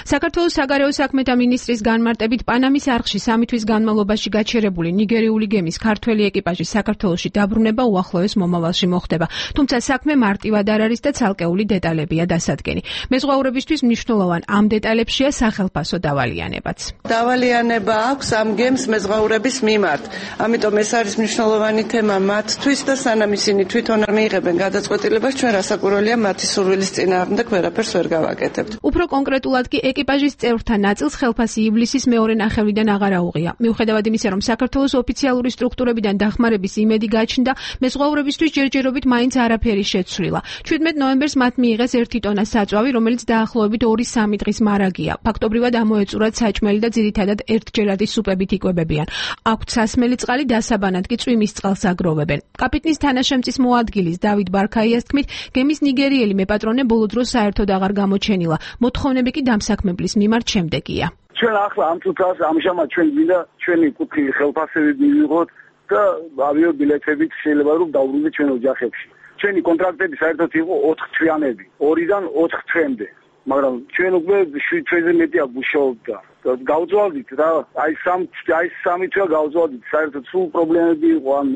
საქართველოს საგარეო საქმეთა მინისტრის განმარტებით პანამის არხში 3 თვის განმავლობაში გაჩერებული ნიგერიული გემის ქართველი ეკიპაჟის საქართველოში დაბრუნება უახლოეს მომავალში მოხდება. თუმცა საქმე მარტივად არ არის და ცალკეული დეტალებია დასადგენი. მეზღვაურებისთვის მნიშვნელოვან ამ დეტალებშია სახელფასო დავალიანებაც. დავალიანება აქვს ამ გემს მეზღვაურების მიმართ. ამიტომ ეს არის მნიშვნელოვანი თემა მათთვის და სანამ ისინი თვითონ არ მიიღებენ გადაწყვეტილებას, ჩვენ რასაკვირველია მათი სურვილის წინააღმდეგ ვერაფერს ვერ გავაკეთებთ. უფრო კონკრეტულად კი ეკიპაჟის წევრთა ნაწილს ხელფასი ივლისის მეორე ნახევრიდან აღარ აუღია. მიუხედავად იმისა, რომ საქართველოს ოფიციალური სტრუქტურებიდან დახმარების იმედი გაჩნდა, მეზღვაურებისთვის ჯერჯერობით მაინც არაფერი შეცვლილა. 17 ნოემბერს მათ მიიღეს 1 ტონა საწვავი, რომელიც დაახლოებით 2-3 დღის მარაგია. ფაქტობრივად ამოეწურათ საჭმელი და ძირითადად ერთჯერადი სუპებით იკვებებიან. აქვთ სასმელი წყალი, დასაბანად კი წვიმის წყალს აგროვებენ. კაპიტნის თანაშემწის მოადგილის დავით ბარქაიას თქმით, გემის ნიგერიელი მეპატრონე ბოლო დროს საერთოდ აღარ გამოჩენილა. მოთხოვნები კი დამსაქმებლის მიმართ შემდეგია. ჩვენ ახლა ამ წუთას ამჟამად ჩვენ მინდა ჩვენი კუთხი ხელფასები მივიღოთ და ავიაბილეთებით შეიძლება რომ დავბრუნდეთ ჩვენ ოჯახებში. ჩვენი კონტრაქტები საერთოდ იყო 4 თვიანები, 2-დან 4 თვემდე. მაგრამ ჩვენ უკვე 7 თვეზე მეტი აგუშაობდა. გავძვალდით რა, აი 3 თვე გავძვალდით, საერთოდ სულ პრობლემები იყო ამ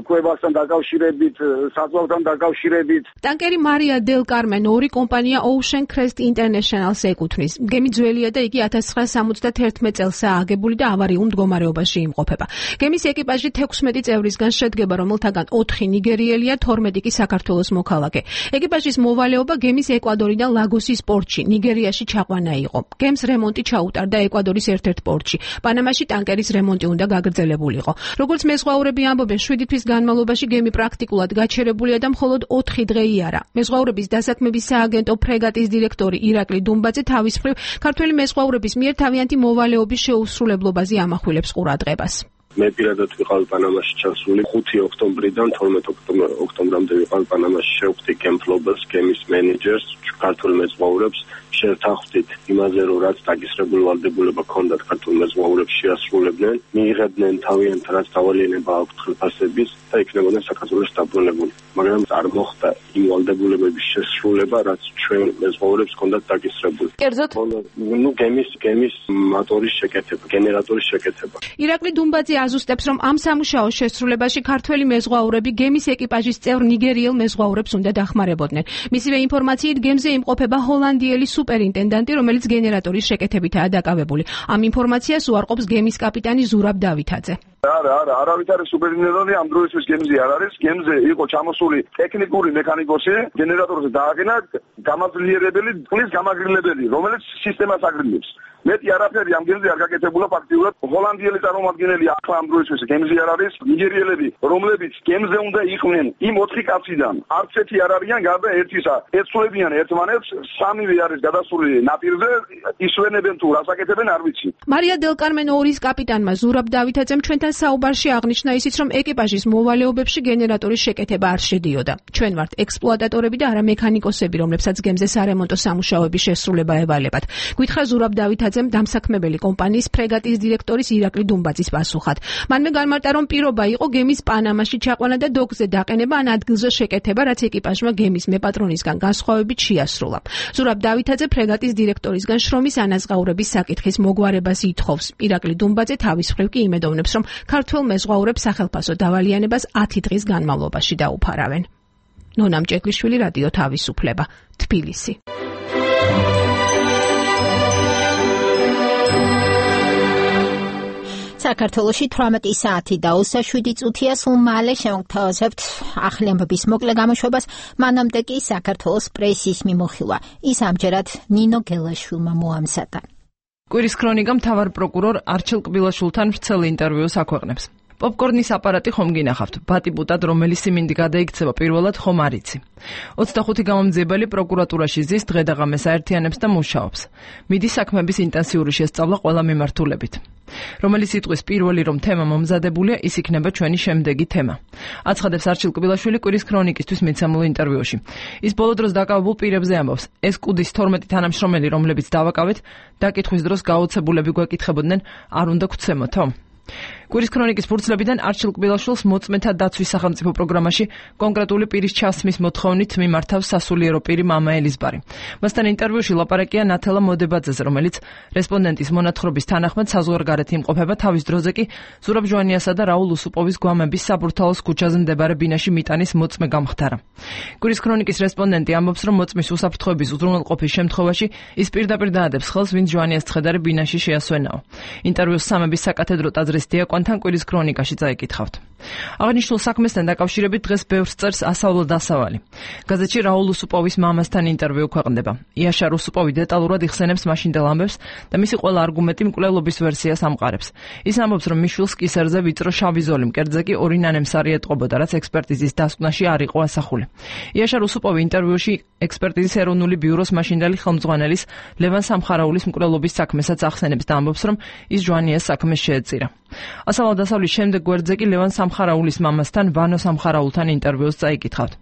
კვებასთან დაკავშირებით, საზღვართან დაკავშირებით. ტანკერი მარია დელ კარმენ 2 კომპანია Ocean Crest International-ს ეკუთვნის. გემი ძველია და იგი 1971 წელსაა აგებული და ავარიულ მდგომარეობაში იმყოფება. გემის ეკიპაჟი 16 წევრისგან შედგება, რომელთაგან 4 ნიგერიელია, 12 კი საქართველოს მოქალაქე. ეკიპაჟის მოვალეობა გემის ეკვადორიდან ლაგოსის პორტში, ნიგერიაში ჩაყვანა იყო. გემს რემონტი ჩაუტარდა ეკვადორის ერთ-ერთ პორტში. პანამაში ტანკერის რემონტი უნდა გაგრძელებულიყო. როგორც მეზღვაურები ამბობენ, 7 თვის განმავლობაში გემი პრაქტიკულად გაჩერებულია და მხოლოდ 4 დღე იარა. მეზღვაურების დასაქმების სააგენტო ფრეგატის დირექტორი ირაკლი დუმბაძე თავის მხრივ ქართველი მეზღვაურების მიერ თავიანთი მოვალეობის შეუსრულებლობაზე ამახვილებს ყურადღებას. მე პირადად ვიყავი პანამაში ჩასული 5 ოქტომბრიდან 12 ოქტომბრამდე ვიყავი პანამაში, შევხვდი გემფლობას, გემის მენეჯერს, ქართულ მეზღვაურებს, შევთანხმდით იმაზე, რომ რაც დაგისრებული ვალდებულება ჰქონდათ ქართულ მეზღვაურებს შეასრულებდნენ, მიიღებდნენ თავიანთ რაც დავალიანება აქვთ ხელფასების და იქნებოდნენ საქართველოს დაბრუნებული. მაგრამ არ მოხდა იმ ვალდებულებების შესრულება, რაც ჩვენ მეზღვაურებს ჰქონდათ დაგისრებული. კერძოდ, გემის მოტორის შეკეთება, გენერატორის შეკეთება. ირაკლი დუმბაძე აზუსტებს, რომ ამ სამუშაოს შესრულებაში ქართველი მეზღვაურები გემის ეკიპაჟის წევრ ნიგერიელ მეზღვაურებს უნდა დახმარებოდნენ. მისივე ინფორმაციით გემზე იმყოფება ჰოლანდიელი სუპერინტენდანტი, რომელიც გენერატორის შეკეთებითაა დაკავებული. ამ ინფორმაციას უარყოფს გემის კაპიტანი ზურაბ დავითაძე. არავით არის სუპერინტენდანტი ამ დროისთვის გემზე არ არის. გემზე იყო ჩამოსული ტექნიკური მექანიკოსი, გენერატორზე დააგენა გამაძლიერებელი წყლის გამაგრილებელი, რომელიც სისტემას აგრილებს. მეტი არაფერი ამ გემზე არ გაკეთებულა ფაქტიურად. ჰოლანდიელი წარმომადგენელი ახლა ამ დროისთვის გემზე არ არის. ნიგერიელები, რომლებიც გემზე უნდა იყვნენ იმ 4 კაციდან, არც ერთი არ არიან გარდა ერთისა. ეცვლებიან ერთმანეთს, 3-ვე არის გადასული ნაპირზე, ისვენებენ თუ რას აკეთებენ არ ვიცი. მარია დელ კარმენ 2-ის კაპიტანმა ზურაბ დავითაძემ ჩვენთან საუბარში აღნიშნა ისიც, რომ ეკიპაჟის მოვალეობებში გენერატორის შეკეთება არ შედიოდა. ჩვენ ვართ ექსპლუატატორები და არა მექანიკოსები, რომლებსაც გემზე სარემონტო სამუშაოების შესრულება ევალებათ. გითხრა ზურაბ დავითაძემ დამსაქმებელი კომპანიის ფრეგატის დირექტორის ირაკლი დუმბაძის პასუხად. მანვე განმარტა, რომ პირობა იყო გემის პანამაში ჩაყვანა და დოკზე დაყენება ან ადგილზე შეკეთება, რაც ეკიპაჟმა გემის მეპატრონისგან განსხვავებით შეასრულა. ზურაბ დავითაძე ფრეგატის დირექტორისგან შრომის ანაზღაურების საკითხის მოგვარებას ითხოვს. ირაკლი დუმბაძე თავის მხრივ კი იმედოვნებს, რომ ქართველ მეზღვაურებს სახელფასო დავალიანებას 10 დღის განმავლობაში დაუფარავენ. ნონა მჭედლიშვილი, რადიო თავისუფლება, თბილისი. საქართველოში 18 საათი და 27 წუთია, სულ მალე შევგთავაზებთ ახალი ამბების მოკლე გამოშვებას. მანამდე კი საქართველოს პრესის მიმოხილვა. ის ამჯერად ნინო გელაშვილმა მოამზადა. კვირის ქრონიკა მთავარ პროკურორ არჩილ კბილაშვილთან ვრცელ ინტერვიუს აქვეყნებს. პოპკორნის აპარატი ხომ გინახავთ? ბატიბუტად რომელი სიმინდი გადაიქცევა პირველად ხომ არ იცი. 25 გამომძიებელი პროკურატურაში ზის დღე და ღამეს აერთიანებს და მუშაობს. მიდის საქმების ინტენსიური შესწავლა ყველა მიმართულებით. რომელი სიტყვის პირველი რომ თემა მომზადებულია, ის იქნება ჩვენი შემდეგი თემა. აცხადებს არჩილ კბილაშვილი კვირის ქრონიკისთვის მიცემულ ინტერვიუში. ის ბოლო დროს დაკავებულ პირებზე ამბობს. ეს კუდის 12 თანამშრომელი, რომლებიც დავაკავეთ, დაკითხვის დროს გაოცებულები გვეკითხებოდნენ, არ უნდა გვცემოთო? კვირის ქრონიკის ფურცლებიდან არჩილ კბილაშვილს მოწმეთა დაცვის სახელმწიფო პროგრამაში კონკრეტული პირის ჩასმის მოთხოვნით მიმართავს სასულიერო პირი მამა ელიზბარი. მასთან ინტერვიუში ლაპარაკია ნათელა მოდებაძეზე, რომელიც რესპონდენტის მონათხრობის თანახმად საზღვარგარეთ იმყოფება, თავის დროზე კი ზურაბ ჟვანიასა და რაულ უსუპოვის გვამების საბურთალოს ქუჩაზე მდებარე ბინაში მიტანის მოწმე გამხდარა. კვირის ქრონიკის რესპონდენტი ამბობს, რომ მოწმის უსაფრთხოების უზრუნველყოფის შემთხვევაში ის პირდაპირ დაადებს ხელს, ვინც ჟვანიას ცხედარი ბინაში შეასვენაო. ინტერვიუს სამების საკათედრო ტაძრის დიაკვანი წამყვანთან კვირის ქრონიკაში წაიკითხავთ. აღნიშნულ საქმესთან დაკავშირებით დღეს ბევრს წერს ასავლო დასავალი. გაზეთში რაულ უსუპოვის მამასთან ინტერვიუ ქვეყნდება. იაშარ უსუპოვი დეტალურად იხსენებს მაშინდელ ამბებს და მისი ყველა არგუმენტი მკვლელობის ვერსიას ამყარებს. ის ამბობს, რომ მიშვილს კისერზე ვიწრო შავი ზოლი მკერდზე კი ორი ნანემსარი ეტყობოდა, რაც ექსპერტიზის დასკვნაში არ იყო ასახული. იაშარ უსუპოვი ინტერვიუში ექსპერტიზის ეროვნული ბიუროს მაშინდელი ხელმძღვანელის ლევან სამხარაულის მკვლელობის საქმესაც ახსენებს და ამბობს, რომ ის ჟვანიას საქმეს შეეწირა. ასავლო დასავლის შემდეგ გვერდზე კი ლევან სამხარაულის მამასთან ვანო სამხარაულთან ინტერვიუს წაიკითხავთ.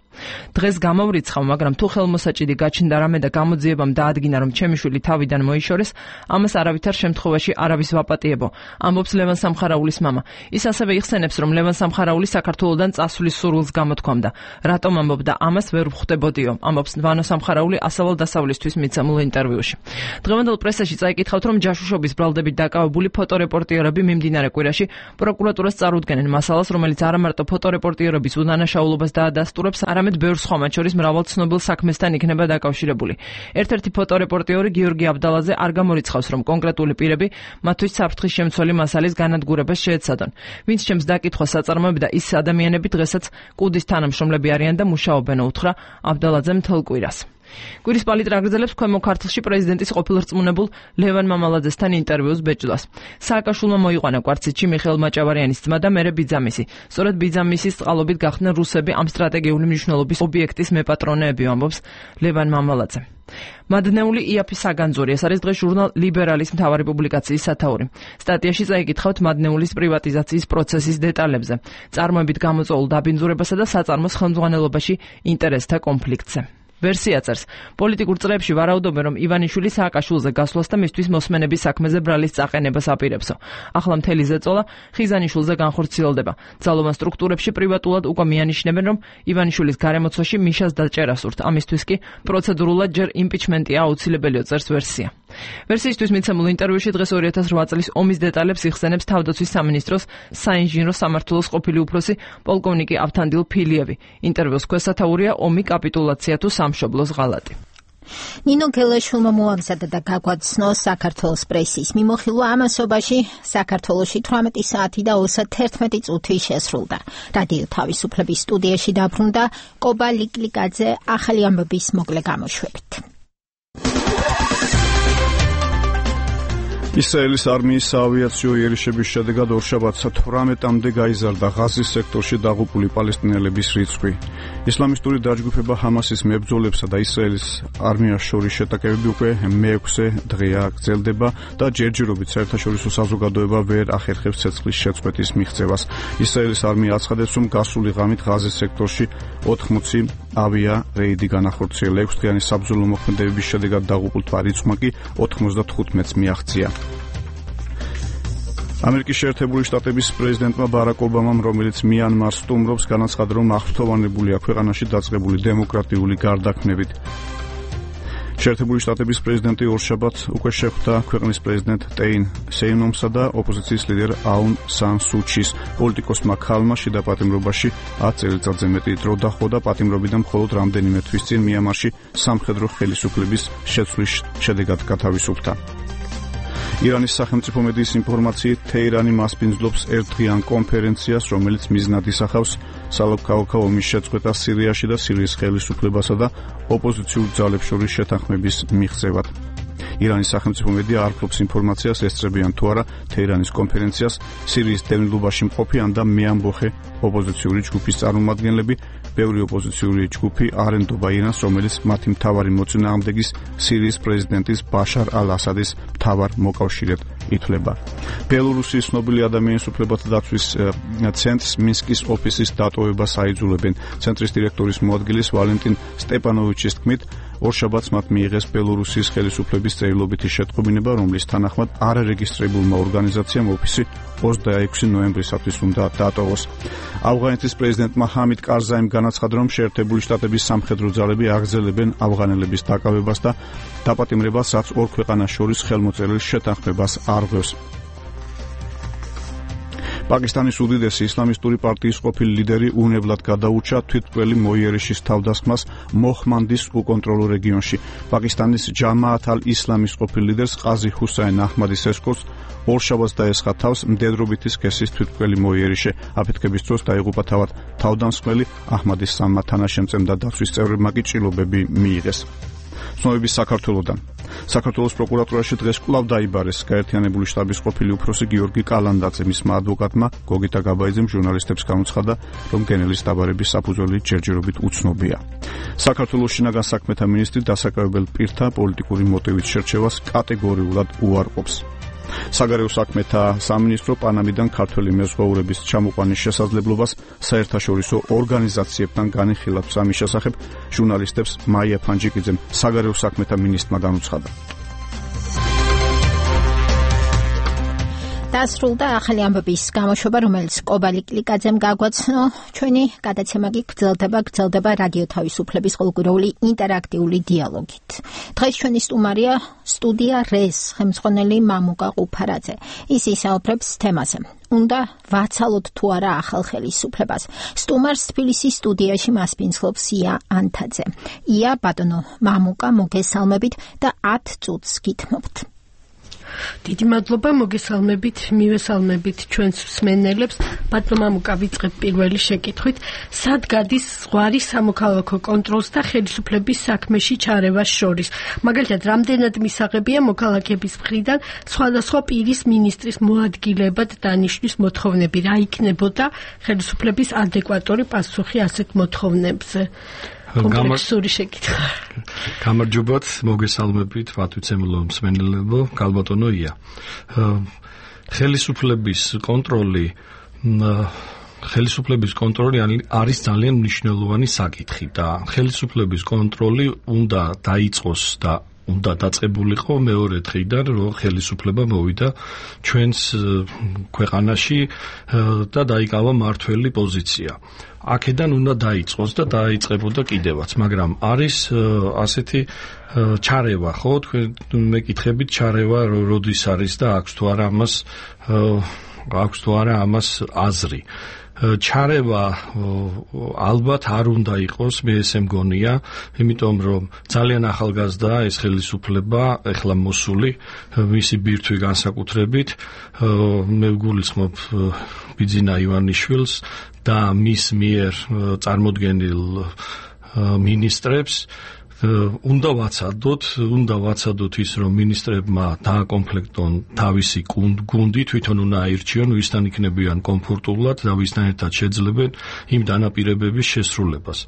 დღეს გამოვრიცხავ, მაგრამ თუ ხელმოსაჭიდი გაჩნდა რამე და გამოძიებამ დაადგინა, რომ ჩემი შვილი თავიდან მოიშორეს, ამას არავითარ შემთხვევაში არავის ვაპატიებო, ამბობს ლევან სამხარაულის მამა. ის ასევე იხსენებს, რომ ლევან სამხარაული საქართველოდან წასვლის სურვილს გამოთქვამდა. რატომ ამბობდა ამას ვერ ვხვდებოდიო, ამბობს ვანო სამხარაული ასავლო დასავლისთვის მიცემულ ინტერვიუში. დღევანდელ პრესაში წაიკითხავთ, რომ ჯაშუშობის ბრალდებით დაკავებული ფოტორეპორტიორები მიმდინარე კვირაში პროკურატურას წარუდგენენ მასალას, რომელიც არა მარტო ფოტორეპორტიორების უდანაშაულობას დაადასტურებს, არამედ ბევრ სხვა, მათ შორის მრავალ ცნობილ საქმესთან იქნება დაკავშირებული. ერთ-ერთი ფოტორეპორტიორი გიორგი აბდალაძე არ გამორიცხავს, რომ კონკრეტული პირები მათთვის საფრთხის შემცველი მასალის განადგურებას შეეცადონ. ვინც ჩემს დაკითხვას აწარმოებდა, ის ადამიანები დღესაც კუდის თანამშრომლები არიან და მუშაობენ, უთხრა აბდალაძემ მთელ კვირას. კვირის პალიტრა აგრძელებს ქვემო ქართლში პრეზიდენტის ყოფილ რწმუნებულ ლევან მამალაძესთან ინტერვიუს ბეჭდვას. სააკაშვილმა მოიყვანა კვარციტში მიხეილ მაჭავარიანის ძმა და მერე ბიძამისი. სწორედ ბიძამისის წყალობით გახდნენ რუსები ამ სტრატეგიული მნიშვნელობის ობიექტის მეპატრონეები, ამბობს ლევან მამალაძე. მადნეული იაფი საგანძური, ეს არის დღეს ჟურნალ ლიბერალის მთავარი პუბლიკაციის სათაური. სტატიაში წაიკითხავთ მადნეულის პრივატიზაციის პროცესის დეტალებზე, წარმოებით გამოწვეულ დაბინძურებასა და საწარმოს ხელმძღვანელობაში ინტერესთა კონფლიქტზე. ვერსია წერს, პოლიტიკურ წრეებში ვარაუდობენ, რომ ივანიშვილი სააკაშვილზე გასვლას და მისთვის მოსმენების საქმეზე ბრალის წაყენებას აპირებსო. ახლა მთელი ზეწოლა ხიზანიშვილზე განხორციელდება. ძალოვან სტრუქტურებში პრივატულად უკვე მიანიშნებენ, რომ ივანიშვილის გარემოცვაში მიშას დაჭერას სურთ. ამისთვის კი პროცედურულად ჯერ იმპიჩმენტია აუცილებელია, წერს ვერსია. ვერსიისთვის მიცემულ ინტერვიუში დღეს 2008 წლის ომის დეტალებს იხსენებს თავდაცვის სამინისტროს საინჟინრო სამმართველოს ყოფილი უფროსი პოლკოვნიკი ავთანდილ ფილიევი. ინტერვიუს ქვესათაურია ომი, კაპიტულაცია თუ სამშობლოს ღალატი. ნინო გელაშვილმა მოამზადა და გაგვაცნო საქართველოს პრესის მიმოხილვა ამასობაში. საქართველოში 18 საათი და 31 წუთი შესრულდა. რადიო თავისუფლების სტუდიაში დაბრუნდა კობა ლიკლიკაძე ახალი ამბების მოკლე გამოშვებით. ისრაელის არმიის საავიაციო იერიშების შედეგად ორშაბათს 18-მდე გაიზარდა ღაზის სექტორში დაღუპული პალესტინელების რიცხვი. ისლამისტური დაჯგუფება ჰამასის მებრძოლებსა და ისრაელის არმიას შორის შეტაკებები უკვე მე-6 დღეა გრძელდება და ჯერჯერობით საერთაშორისო საზოგადოება ვერ ახერხებს ცეცხლის შეწყვეტის მიღწევას. ისრაელის არმია აცხადებს, რომ გასული ღამით ღაზის სექტორში 80 ავია რეიდი განახორციელა. 6 დღიანი საბრძოლო მოქმედებების შედეგად დაღუპულთა რიცხვმა კი 95-ს მიაღწია. ამერიკის შეერთებული შტატების პრეზიდენტმა ბარაკ ობამამ, რომელიც მიანმარს სტუმრობს, განაცხადა, რომ აღფრთოვანებულია ქვეყანაში დაწყებული დემოკრატიული გარდაქმნებით. შეერთებული შტატების პრეზიდენტი ორშაბათს უკვე შეხვდა ქვეყნის პრეზიდენტ ტეინ სეინომსა და ოპოზიციის ლიდერ აუნ სან სუჩის. პოლიტიკოსმა ქალმა შიდა პატიმრობაში 10 წელიწადზე მეტი დრო დაჰყო და პატიმრობიდან მხოლოდ რამდენიმე თვის წინ მიანმარში სამხედრო ხელისუფლების შეცვლის შედეგად გათავისუფლდა. ირანის სახელმწიფო მედიის ინფორმაციით, თეირანი მასპინძლობს ერთდღიან კონფერენციას, რომელიც მიზნად ისახავს სალოქაოქა ომის შეწყვეტას სირიაში და სირიის ხელისუფლებასა და ოპოზიციურ ძალებს შორის შეთანხმების მიღწევად. ირანის სახელმწიფო მედია არ ფლობს ინფორმაციას, ესწრებიან თუ არა თეირანის კონფერენციას სირიის დევნილობაში მყოფი ან და მეამბოხე ოპოზიციური ჯგუფის წარმომადგენლები. ბევრი ოპოზიციური ჯგუფი არ ენდობა ირანს, რომელიც მათი მთავარი მოწინააღმდეგის სირიის პრეზიდენტის ბაშარ ალ-ასადის მთავარ მოკავშირედ ითვლება. ბელორუსიის ცნობილი ადამიანის უფლებათა დაცვის ცენტრს მინსკის ოფისის დატოვებას აიძულებენ. ცენტრის დირექტორის მოადგილის ვალენტინ სტეპანოვიჩის თქმით, ორშაბათს მათ მიიღეს ბელორუსიის ხელისუფლების წერილობითი შეტყობინება, რომლის თანახმად არარეგისტრირებულმა ორგანიზაციამ ოფისი 26 ნოემბრისათვის უნდა დატოვოს. ავღანეთის პრეზიდენტმა ჰამიდ კარზაიმ განაცხადა, რომ შეერთებული შტატების სამხედრო ძალები აგრძელებენ ავღანელების დაკავებას და დაპატიმრებას, რაც ორ ქვეყანას შორის ხელმოწერილ შეთანხმებას არღვევს. პაკისტანის უდიდესი ისლამისტური პარტიის ყოფილი ლიდერი უნებლად გადაურჩა თვითმკვლელი მოიერიშის თავდასხმას მოჰმანდის უკონტროლო რეგიონში. პაკისტანის ჯამაათ ალ-ისლამის ყოფილი ლიდერს ყაზი ჰუსაინ აჰმადის ესკორტს ორშაბათს დაესხა თავს მდედრობითი სქესის თვითმკვლელი მოიერიშე. აფეთქების დროს დაიღუპა თავად თავდამსხმელი აჰმადის სამმა თანაშემწემ და დაცვის წევრებმა კი ჭრილობები მიიღეს. ცნობების საქართველოდან. საქართველოს პროკურატურაში დღეს კვლავ დაიბარეს გაერთიანებული შტაბის ყოფილი უფროსი გიორგი კალანდაძე. მისმა ადვოკატმა გოგიტა გაბაიძემ ჟურნალისტებს განუცხადა, რომ გენელის დაბარების საფუძველი ჯერჯერობით უცნობია. საქართველოს შინაგან საქმეთა მინისტრი დასაკავებელ პირთა პოლიტიკური მოტივით შერჩევას კატეგორიულად უარყოფს. საგარეო საქმეთა სამინისტრო პანამიდან ქართველი მეზღვაურების ჩამოყვანის შესაძლებლობას საერთაშორისო ორგანიზაციებთან განიხილავს. ამის შესახებ ჟურნალისტებს მაია ფანჯიკიძემ საგარეო საქმეთა მინისტრმა განუცხადა. დასრულდა ახალი ამბების გამოშვება, რომელიც კობალი კლიკაძემ გაგვაცნო. ჩვენი გადაცემა კი გრძელდება რადიო თავისუფლების ყოველკვირეული ინტერაქტიული დიალოგით. დღეს ჩვენი სტუდია რეს ხელმძღვანელი მამუკა ყუფარაძე. ის ისაუბრებს თემაზე. უნდა ვაცალოთ თუ არა ახალ ხელისუფლებას. სტუმარს თბილისის სტუდიაში მასპინძლობს ია ანთაძე. ია, ბატონო მამუკა, მოგესალმებით და 10 წუთს გითმობთ. დიდი მადლობა, მოგესალმებით, მივესალმებით ჩვენს მსმენელებს. ბატონო მამუკა, ვიწყებ პირველი შეკითხვით. სად გადის ზღვარი სამოქალაქო კონტროლს და ხელისუფლების საქმეში ჩარევას შორის? მაგალითად, რამდენად მისაღებია მოქალაქეების მხრიდან სხვადასხვა პირის მინისტრის მოადგილებად დანიშნვის მოთხოვნები? რა იქნებოდა ხელისუფლების ადეკვატური პასუხი ასეთ მოთხოვნებზე? კომპლექსური შეკითხვა. გამარჯობათ, მოგესალმებით, ვათვიცემლო მსმენელებო, გალბატონო ია. ხელისუფლების კონტროლი არის ძალიან მნიშვნელოვანი საკითხი და ხელისუფლების კონტროლი უნდა დაიწყოს და უნდა დაწყებულიყო მეორე დღიდან, რომ ხელისუფლება მოვიდა ჩვენს ქვეყანაში და დაიკავა მართველი პოზიცია. აქედან უნდა დაიწყოს და დაიწყებოდა კიდევაც, მაგრამ არის ასეთი ჩარევა, ხო? თქვენ მეკითხებით ჩარევა როდის არის და აქვს თუ არა ამას აზრი. ჩარევა ალბათ არ უნდა იყოს, მე ესე მგონია, იმიტომ რომ ძალიან ახალგაზრდაა ეს ხელისუფლება, ეხლა მოსული, მისი ბირთვი განსაკუთრებით, მე ვგულისხმობ ბიძინა ივანიშვილს და მის მიერ წარმოდგენილ მინისტრებს. უნდა ვაცადოთ ის, რომ მინისტრებმა დააკომპლექტონ თავისი გუნდი, თვითონ უნდა აირჩიონ, ვისთან იქნებიან კომფორტულად და ვისთან ერთად შეძლებენ იმ დანაპირებების შესრულებას.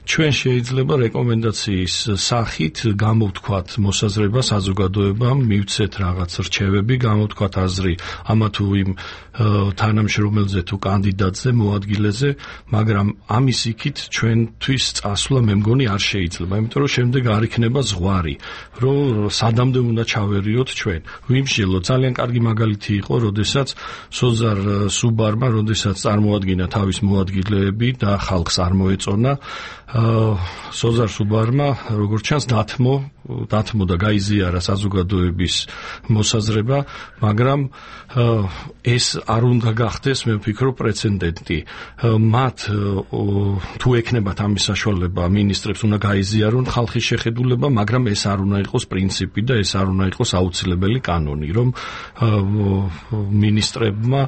ჩვენ შეიძლება რეკომენდაციის სახით გამოვთქვათ მოსაზრება საზოგადოებამ, მივცეთ რაღაც რჩევები, გამოვთქვათ აზრი ამა თუ იმ თანამშრომელზე თუ კანდიდატზე, მოადგილეზე, მაგრამ ამის იქით ჩვენთვის წასვლა მე მგონი არ შეიძლება, იმიტომ რომ შემდეგ არ იქნება ზღვარი, რომ სადამდე უნდა ჩავერიოთ ჩვენ. ვიმშილო, ძალიან კარგი მაგალითი იყო, როდესაც სოზარ სუბარმა, როდესაც წარმოადგინა თავის მოადგილეები და ხალხს არ მოეწონა, სოზარ სუბარმა, როგორც ჩანს, დათმო და გაიზიარა საზოგადოების მოსაზრება, მაგრამ ეს არ უნდა გახდეს, მე ვფიქრობ, პრეცედენტი. მათ თუ ექნებათ ამის საშუალება, მინისტრებს უნდა გაიზიარონ ხალხის შეხედულება, მაგრამ ეს არ უნდა იყოს პრინციპი და ეს არ უნდა იყოს აუცილებელი კანონი, რომ მინისტრებმა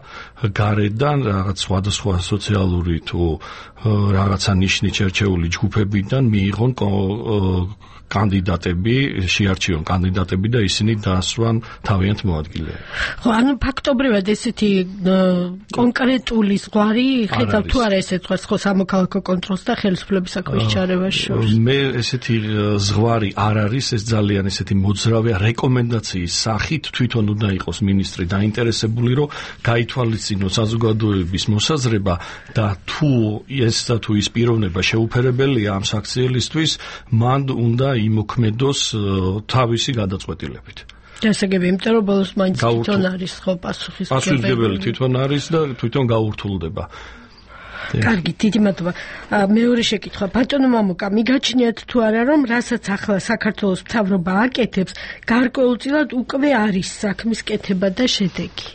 გარედან რაღაც სხვადასხვა სოციალური თუ რაღაცა ნიშნით შერჩეული ჯგუფებიდან მიიღონ კანდიდატები, შეარჩიონ კანდიდატები და ისინი დაასვან თავიანთ მოადგილეებს. ხო, ანუ ფაქტობრივად ესეთი კონკრეტული ზღვარი ხედავ თუ არა ესე თქვა ხო სამოქალაქო კონტროლს და ხელისუფლების საქმეში ჩარევას შორის. მე ესეთი ზღვარი არ არის, ეს ძალიან ესეთი მოძრავია რეკომენდაციის სახით თვითონ უნდა იყოს მინისტრი დაინტერესებული, რომ გაითვალისწინოს საზოგადოების მოსაზრება და თუ ის პიროვნება შეუფერებელია ამ საქციელისთვის, მან უნდა იმოქმედოს თავისი გადაწყვეტილებით. დასაგები, იმიტომ რომ ბოლოს მაინც თვითონ არის ხო პასუხისმგებელი. პასუხისმგებელი თვითონ არის და თვითონ გაურთულდება. კარგი, დიდი მადლობა. მეორე შეკითხვა. ბატონო მამუკა, მიგაჩნიათ თუ არა, რომ რასაც ახლა საქართველოს მთავრობა აკეთებს, გარკვეულწილად უკვე არის საქმის კეთება და შედეგი?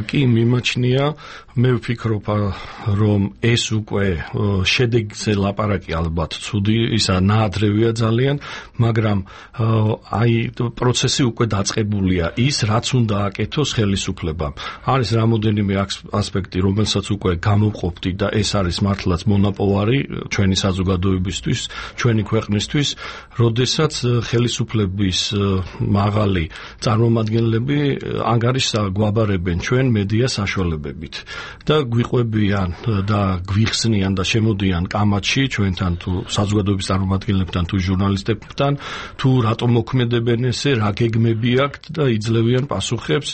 კი, მიმაჩნია. მე ვფიქრობ, რომ ეს უკვე შედეგზე ლაპარაკი ალბათ ცუდი, ისა ნაადრევია ძალიან, მაგრამ აი პროცესი უკვე დაწყებულია, ის რაც უნდა აკეთოს ხელისუფლებამ. არის რამოდენიმე ასპექტი, რომელსაც უკვე გამოვყოფდი და ეს არის მართლაც მონაპოვარი ჩვენი საზოგადოებისთვის, ჩვენი ქვეყნისთვის, როდესაც ხელისუფლების მაღალი წარმომადგენლები ანგარიშს გვაბარებენ ჩვენ მედია საშუალებებით და გვიყვებიან და გვიხსნიან და შემოდიან კამათში ჩვენთან თუ საზოგადოების წარმომადგენლებთან თუ ჟურნალისტებთან თუ რატომ მოქმედებენ ესე, რა გეგმები აქვთ და იძლევიან პასუხებს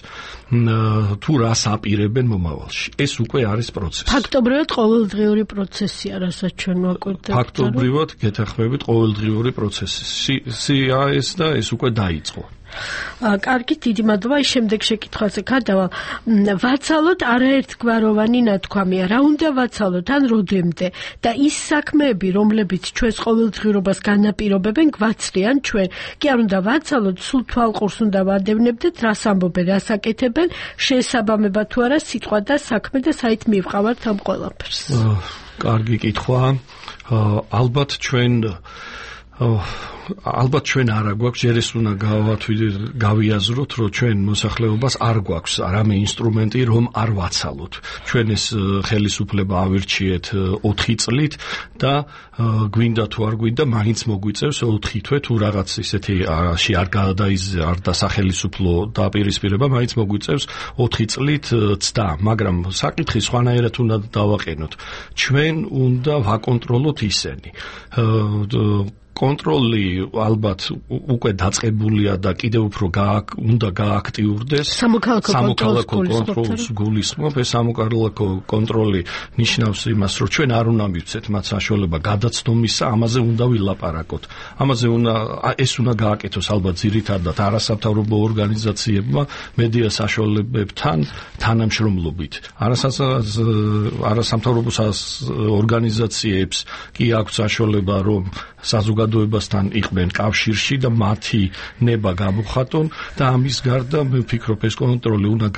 თუ რას აპირებენ მომავალში. ეს უკვე არის პროცესი. ფაქტობრივად ყოველდღიური პროცესია, რასაც ჩვენ ვაკვირდებით. ფაქტობრივად გეთანხმებით ყოველდღიური პროცესი. ეს და ეს უკვე დაიწყო. კარგი, დიდი მადლობა. შემდეგ შეკითხვაზე გადავალ. ვაცალოთ არაერთგვაროვანი ნათქვამია. რა უნდა ვაცალოთ ან როდემდე? და ის საქმეები, რომლებიც ჩვენს ყოველდღიურობას განაპირობებენ, გვაცლიან ჩვენ. კი არ უნდა ვაცალოთ, სულ თვალყურს უნდა ვადევნებდეთ, რას ამბობენ, რას აკეთებენ, შესაბამება თუ არა სიტყვა და საქმე და საით მივყავართ ამ ყველაფერს. კარგი კითხვა. ალბათ ჩვენ არა გვაქვს, ჯერ ეს უნდა გავიაზროთ, რომ ჩვენ მოსახლეობას არ გვაქვს რამე ინსტრუმენტი, რომ არ ვაცალოთ. ჩვენ ეს ხელისუფლება ავირჩიეთ 4 წლით და გვინდა თუ არ გვინდა, მაინც მოგვიწევს 4 თვე თუ რაღაც ისეთი არ დასახელისუფლო დაპირისპირება, მაინც მოგვიწევს 4 წლით ცდა, მაგრამ საკითხი სხვანაირად უნდა დავაყენოთ. ჩვენ უნდა ვაკონტროლოთ ისენი. კონტროლი ალბათ უკვე დაწყებულია და კიდევ უფრო უნდა გააქტიურდეს. სამოქალაქო კონტროლს გულისხმობ. ეს სამოქალაქო კონტროლი ნიშნავს იმას, რომ ჩვენ არ უნდა მივცეთ მათ საშუალება გადაცდომისა, ამაზე უნდა ვილაპარაკოთ. ეს უნდა გააკეთოს ალბათ ძირითადად არასამთავრობო ორგანიზაციებმა მედია საშუალებებთან თანამშრომლობით. არასამთავრობო ორგანიზაციებს კი აქვს საშუალება, რომ საზოგადოებასთან იყვნენ კავშირში და მათი ნება გამოხატონ და ამის გარდა მე ვფიქრობ ეს კონტროლი უნდა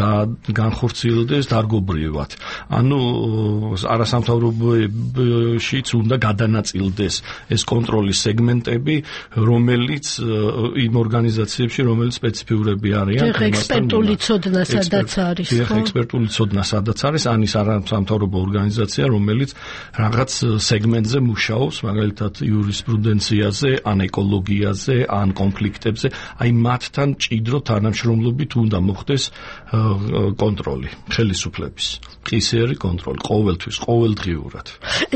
განხორციელდეს დარგობრივად. ანუ არასამთავრობოებშიც უნდა გადანაწილდეს ეს კონტროლის სეგმენტები, რომელიც იმ ორგანიზაციებში, რომელიც სპეციფიურები არიან. ექსპერტული ცოდნა სადაც არის. ექსპერტული ცოდნა სადაც არის, ანის არასამთავრობო ორგანიზაცია, რომელიც რაღაც სეგმენტზე მუშაობს, მაგალითად იურისპრუდენციაზე, ან ეკოლოგიაზე, ან კონფლიქტებზე, აი მათთან მჭიდრო თანამშრომლობით უნდა მოხდეს კონტროლი ხელისუფლების. ყისერი კონტროლი ყოველთვის, ყოველდღიურად.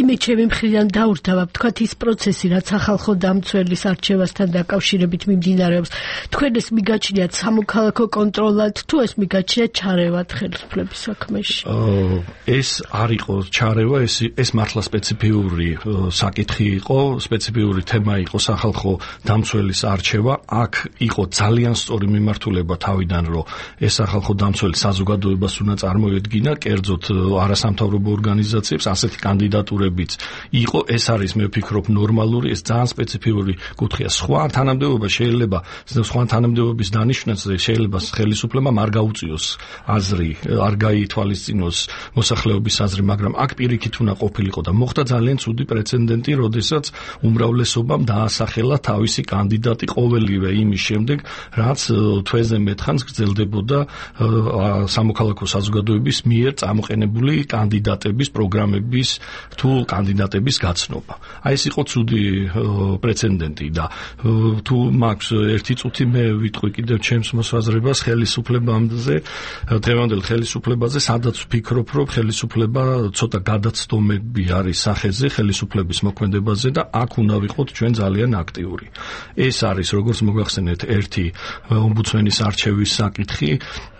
მე ჩემი მხრიდან დაურთავებ, თქვათ ის პროცესი, რაც სახალხო დამცველის არჩევასთან დაკავშირებით მიმდინარეობს, თქვენ ეს მიგაჩნიათ სამოქალაქო კონტროლად, თუ ეს მიგაჩნიათ ჩარევად ხელისუფლების საქმეში? ეს არ იყო ჩარევა, ეს მართლა სპეციფიური საკითხი იყო, სპეციფიური თემა იყო სახალხო დამცველის არჩევა. აქ იყო ძალიან სწორი მიმართულება თავიდან, რომ ეს სახალხო დამცველი საზოგადოებას უნდა წარმოედგინა, კერძოდ არასამთავრობო ორგანიზაციებს, ასეთი კანდიდატურებიც იყო. ეს არის, მე ვფიქრობ, ნორმალური, ეს ძალიან სპეციფიური კუთხეა. სხვა თანამდებობის დანიშვნაზე შეიძლება ხელისუფლებამ არ გაუწიოს აზრი, არ გაითვალისწინოს მოსახლეობის აზრი, მაგრამ აქ პირიქით უნდა ყოფილიყო და მოხდა ძალიან ცუდი პრეცედენტი, როდესაც უმრავლესობამ დაასახელა თავისი კანდიდატი ყოველივე იმის შემდეგ, რაც თვეზე მეტხანს გრძელდებოდა სამოქალაქო საზოგადოების მიერ წამოყენებული კანდიდატების პროგრამების თუ კანდიდატების გაცნობა. აი ეს იყო ცუდი პრეცედენტი და თუ მაქვს ერთი წუთი მე ვიტყვი კიდევ ჩემს მოსაზრებას ხელისუფლებაზე, დღევანდელ ხელისუფლებაზე, სადაც ვფიქრობ, რომ ხელისუფლება ცოტა გადაცდომები არის სახეზე ხელისუფლების მოქმედებაზე და აქ უნდა ვიყოთ ჩვენ ჩვენ ძალიან აქტიური. ეს არის როგორც მოგახსენეთ ერთი ომბუდსმენის არჩევის საკითხი,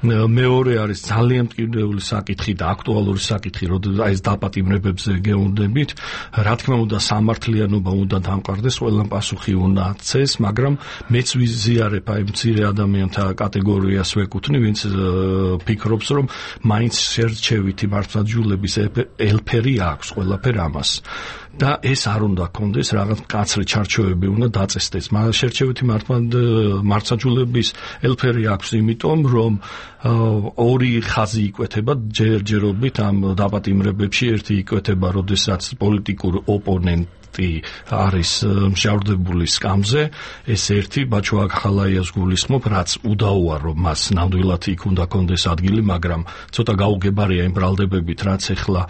მეორე არის ძალიან მტკივნეული საკითხი და აქტუალური საკითხი, როდესაც ეს დაპატიმრებებზე გეუნდებით, რა თქმა უნდა სამართლიანობა უნდა დამყარდეს, ყველამ პასუხი უნდა აქცეს, მაგრამ მეც ვიზიარებ აი მცირე ადამიანთა კატეგორიას ვეკუთვნი, ვინც ფიქრობს, რომ მაინც შერჩევითი მართლმსაჯულების ელფერი აქვს ყველაფერ ამას. და ეს არ უნდა კონდეს, რაღაც მკაცრი ჩარჩოები უნდა დაწესდეს. მაგრამ შერჩევითი მართლმსაჯულების ელფერი აქვს, იმიტომ რომ ორი ხაზი იკვეთება ჯერჯერობით ამ დაპატიმრებებში, ერთი იკვეთება, როდესაც პოლიტიკურ ოპონენტი არის მსჯავრდებული სკამზე, ეს ერთი ბაჩო ახალაიას გულისხმობ, რაც უდაოა, რომ მას ნამდვილად იქ უნდა კონდეს ადგილი, მაგრამ ცოტა გაუგებარია იმ ბრალდებებით, რაც ახლა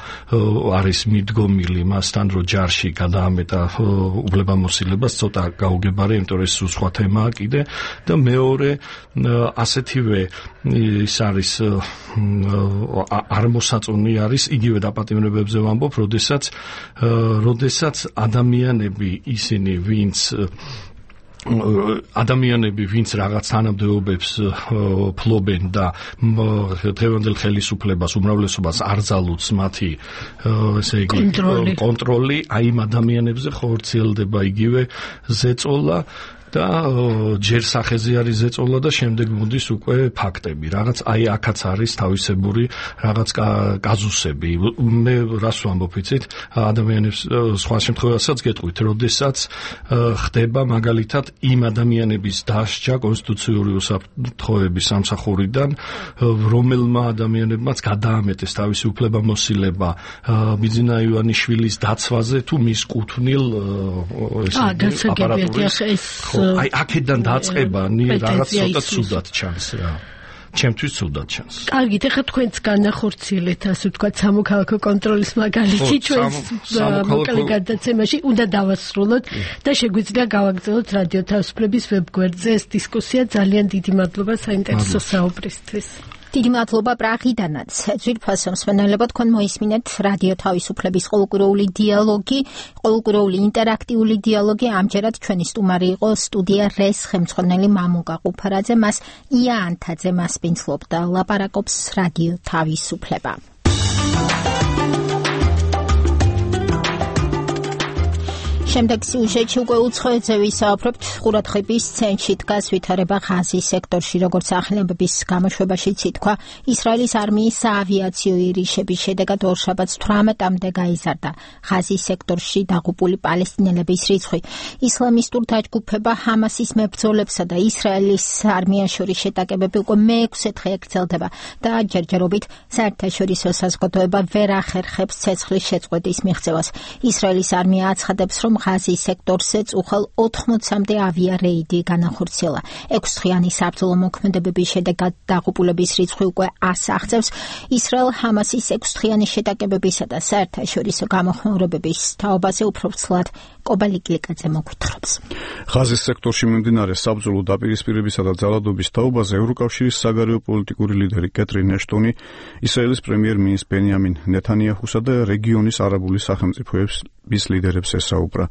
არის მიდგომილი მასთან, რომ ჯარში გადაამეტა უფლებამოსილებას, ცოტა გაუგებარია, იმიტომ რომ ეს სხვა თემაა კიდე და მეორე ასეთივე ის არის არ მოსაწონი არის იგივე დაპატიმრებებზე ვამბობ, როდესაც ადამიანები ისინი, ვინც რაღაც თანამდებობებს ფლობენ და დღევანდელ ხელისუფლებას უმრავლესობას არ ძალუძს მათი ესე იგი კონტროლი, აი იმ ადამიანებზე ხორციელდება იგივე ზეწოლა და ჯერ სახეზე არის ზეწოლა და შემდეგ მოდის უკვე ფაქტები. რაღაც აი აქაც არის თავისებური რაღაც კაზუსები. მე რას ვამბობ, იცით, ადამიანებს სხვა შემთხვევასაც გეტყვით, როდესაც ხდება მაგალითად იმ ადამიანების დასჯა კონსტიტუციური უსაფრთხოების სამსახურიდან, რომელმა ადამიანებმაც გადაამეტეს თავისი უფლებამოსილება ბიძინა ივანიშვილის დაცვაზე თუ მის კუთვნილ აპარატურის აი აქედან დაწყება რაღაც ცოტა ცუდად ჩანს რა. ჩემთვის ცუდად ჩანს. კარგით, ახლა თქვენც განახორციელეთ, ასე ვთქვათ, სამოქალაქო კონტროლის მაგალითი ჩვენს მოკლე გადაცემაში უნდა დავასრულოთ და შეგვიძლია გავაგრძელოთ რადიო თავისუფლების ვებგვერდზე ეს დისკუსია. ძალიან დიდი მადლობა საინტერესო საუბრისთვის. დიდი მადლობა პრაღიდანაც. ძვირფასო მსმენელებო, თქვენ მოისმინეთ რადიო თავისუფლების ყოველკვირეული დიალოგი, ყოველკვირეული ინტერაქტიული დიალოგი. ამჯერად ჩვენი სტუმარი იყო სტუდია რეს ხელმძღვანელი მამუკა ყუფარაძე, მას ია ანთაძე მასპინძლობდა. ლაპარაკობს რადიო თავისუფლება. შემდეგ სიუჟეტში უკვე უცხოეთზე ვისაუბრებთ. ყურადღების ცენტრში დგას ვითარება ღაზის სექტორში, როგორც ახლებების გამოშვებაშიც ითქვა, ისრაელის არმიის საავიაციო ირიშების შედეგად ორშაბათს 18-მდე გაიზარდა ღაზის სექტორში დაღუპული პალესტინელების რიცხვი. ისლამისტურ დაჯგუფება ჰამასის მებრძოლებსა და ისრაელის არმიას შორის შეტაკებები უკვე მე-6 დღე ეკრძალდება და ჯერჯერობით საერთაშორისო საზოგადოება ვერ ახერხებს ცეცხლის შეწყვეტის მიღწევას. ისრაელის არმია აცხადებს, რომ ღაზის სექტორზე წუხელ 80-მდე ავიარეიდი განახორციელა. 6-დღიანი საბრძოლო მოქმედებების შედეგად დაღუპულების რიცხვი უკვე 100-ს აღწევს. ისრაელ-ჰამასის 6-დღიანი შეტაკებებისა და საერთაშორისო გამოხმაურებების თაობაზე უფრო ცლად კობალიკლიკაძე მოგვითხრობს. ღაზის სექტორში მიმდინარე საბრძოლო დაპირისპირებისა და ძალადობის თაობაზე ევროკავშირის საგარეო პოლიტიკური ლიდერი კეთრინ ეშტონი, ისრაელის პრემიერ-მინისტრ ბენიამინ ნეთანიაჰუსა და რეგიონის არაბული სახელმწიფოების ლიდერებს ესაუბრა.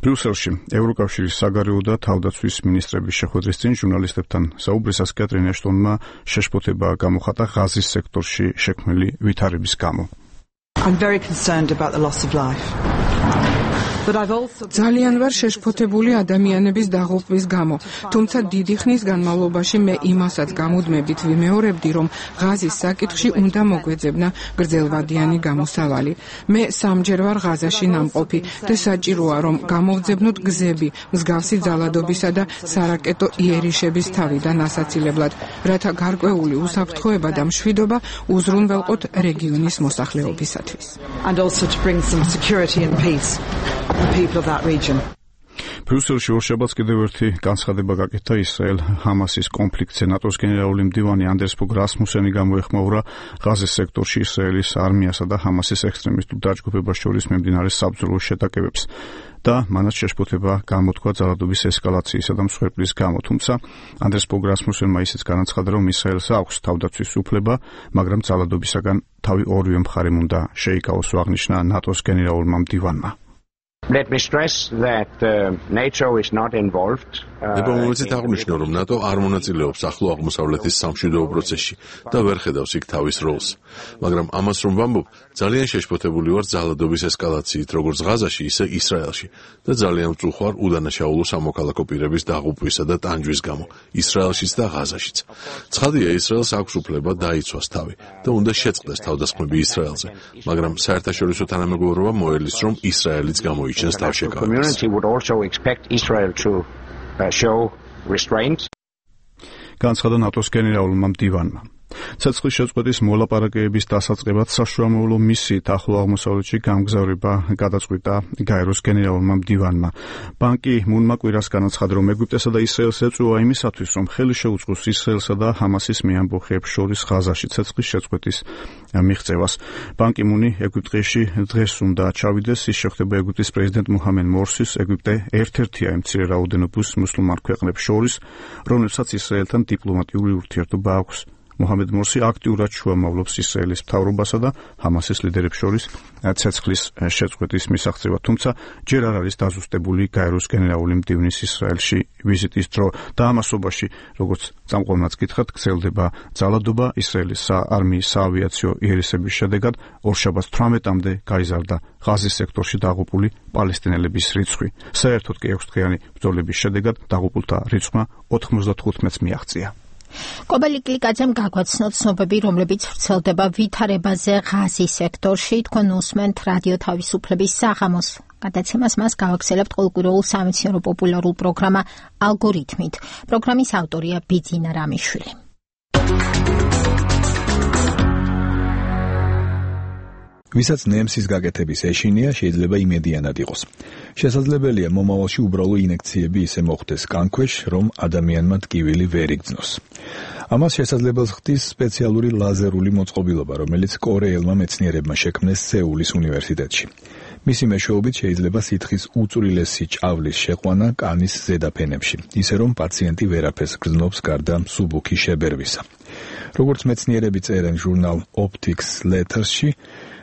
ბრიუსელში ევროკავშირის საგარეო და თავდაცვის მინისტრების შეხვედრის წინ ჟურნალისტებთან საუბრისას კეთრინ ეშტონმა შეშფოთება გამოხატა ღაზის სექტორში შექმნილი ვითარების გამო. I'm very concerned about the loss of life. ძალიან ვარ შეშფოთებული ადამიანების დაღუპვის გამო, თუმცა დიდი ხნის განმავლობაში მე იმასაც გამუდმებით ვიმეორებდი, რომ ღაზის საკითხში უნდა მოგვეძებნა გრძელვადიანი გამოსავალი. მე სამჯერ ვარ ღაზაში ნამყოფი და საჭიროა, რომ გამოვძებნოთ გზები, მსგავსი ძალადობისა და სარაკეტო იერიშების თავიდან ასაცილებლად, რათა გარკვეული უსაფრთხოება და მშვიდობა უზრუნველყოთ რეგიონის მოსახლეობისათვის. And also to bring some security and peace. The people of that region. ბრიუსელში ორშაბათს კიდევ ერთი განცხადება გაკეთა ისრაელ-ჰამასის კონფლიქტზე. ნატოს გენერალური მდივანი ანდერს ფოგ რასმუსენი გამოეხმაურა ღაზის სექტორში ისრაელის არმიასა და ჰამასის ექსტრემისტულ დაჯგუფებას შორის მიმდინარე საბრძოლო შეტაკებებს და მანაც შეშფოთება გამოთქვა ძალადობის ესკალაციისა და მსხვერპლის გამო. თუმცა ანდერს ფოგ რასმუსენმა ისიც განაცხადა, რომ ისრაელს აქვს თავდაცვის უფლება, მაგრამ ძალადობისაგან თავი ორივე მხარემ უნდა შეიკავოს, აღნიშნა ნატოს გენერალურმა მდივანმა. Let me stress that NATO is not involved. ნება მომეცით აღნიშნო, რომ ნატო არ მონაწილეობს ახლო აღმოსავლეთის სამშვიდობო პროცესში და ვერ ხედავს იქ თავის როლს. მაგრამ ამას რომ ვამბობ, ძალიან შეშფოთებული ვარ ძალადობის ესკალაციით, როგორც ღაზაში, ისე ისრაელში და ძალიან მწუხვარ უდანაშაულო სამოქალაქო პირების დაღუპვისა და ტანჯვის გამო ისრაელშიც და ღაზაშიც. ცხადია, ისრაელს აქვს უფლება დაიცვას თავი და უნდა შეწყდეს თავდასხმები ისრაელზე, მაგრამ საერთაშორისო თანამეგობრობა მოელის, რომ ისრაელიც გამოიჩენს თავშეკავებას. Show restraint. განცხადა ნატოს გენერალურმა მდივანმა. ცეცხლის შეწყვეტის მოლაპარაკებების დასაწყებად საშუალო მისიით ახლო აღმოსავლეთში გამგზავრება გადაწყვიტა გაეროს გენერალურმა მდივანმა. ბანკი მუნმა კვირას განაცხადა, რომ ეგვიპტესა და ისრაელს ეწვევა იმისათვის, რომ ხელი შეუწყოს ისრაელსა და ჰამასის მეამბოხეებს შორის ღაზაში ცეცხლის შეწყვეტის მიღწევას. ბანკი მუნი ეგვიპტეში დღეს უნდა ჩავიდეს, ის შეხვდება ეგვიპტის პრეზიდენტ მუჰამედ მორსის. ეგვიპტე ერთ-ერთია იმ მცირე რაოდენობის მუსლიმან ქვეყნებს შორის, რომლებსაც ისრაელთან დიპლომატიური ურთიერთობა აქვს. მუჰამედ მორსი აქტიურად შუამავლობს ისრაელის მთავრობასა და ჰამასის ლიდერებს შორის ცეცხლის შეწყვეტის მისაღწევად, თუმცა ჯერ არ არის დაზუსტებული გაეროს გენერალური მდივნის ისრაელში ვიზიტის დრო და ამასობაში, როგორც წამყვანაც გითხრათ, გრძელდება ძალადობა. ისრაელის არმიის საავიაციო იერესების შედეგად ორშაბათს 18-მდე გაიზარდა ღაზის სექტორში დაღუპული პალესტინელების რიცხვი. საერთოდ კი 6 დღიანი ბრძოლების შედეგად დაღუპულთა რიცხვმა 95-ს მიაღწია. კობალი კლიკაძემ გაგვაცნო ცნობები, რომლებიც ვრცელდება ვითარებაზე ღაზის სექტორში. თქვენ უსმენთ რადიო თავისუფლების საღამოს. გადაცემას მას გავაგზავნებთ ყოველკვირეულ სამეცნიერო პოპულარულ პროგრამა ალგორითმით. პროგრამის ავტორია ბიძინა რამიშვილი. ვისაც ნემსის გაკეთების ეშინია, შეიძლება იმედიანად იყოს. შესაძლებელია მომავალში უბრალო ინექციები ისე მოხდეს კანქვეშ, რომ ადამიანმა ტკივილი ვერ იგრძნოს. ამას შესაძლებელს ხდის სპეციალური ლაზერული მოწყობილობა, რომელიც კორეელმა მეცნიერებმა შექმნეს სეულის უნივერსიტეტში. მისი მეშვეობით შეიძლება სითხის უწვრილესი ჭავლის შეყვანა კანის ზედაფენებში, ისე რომ პაციენტი ვერაფერს გრძნობს გარდა მსუბუქი შებერვისა. როგორც მეცნიერები წერენ ჟურნალ Optics Letters-ში,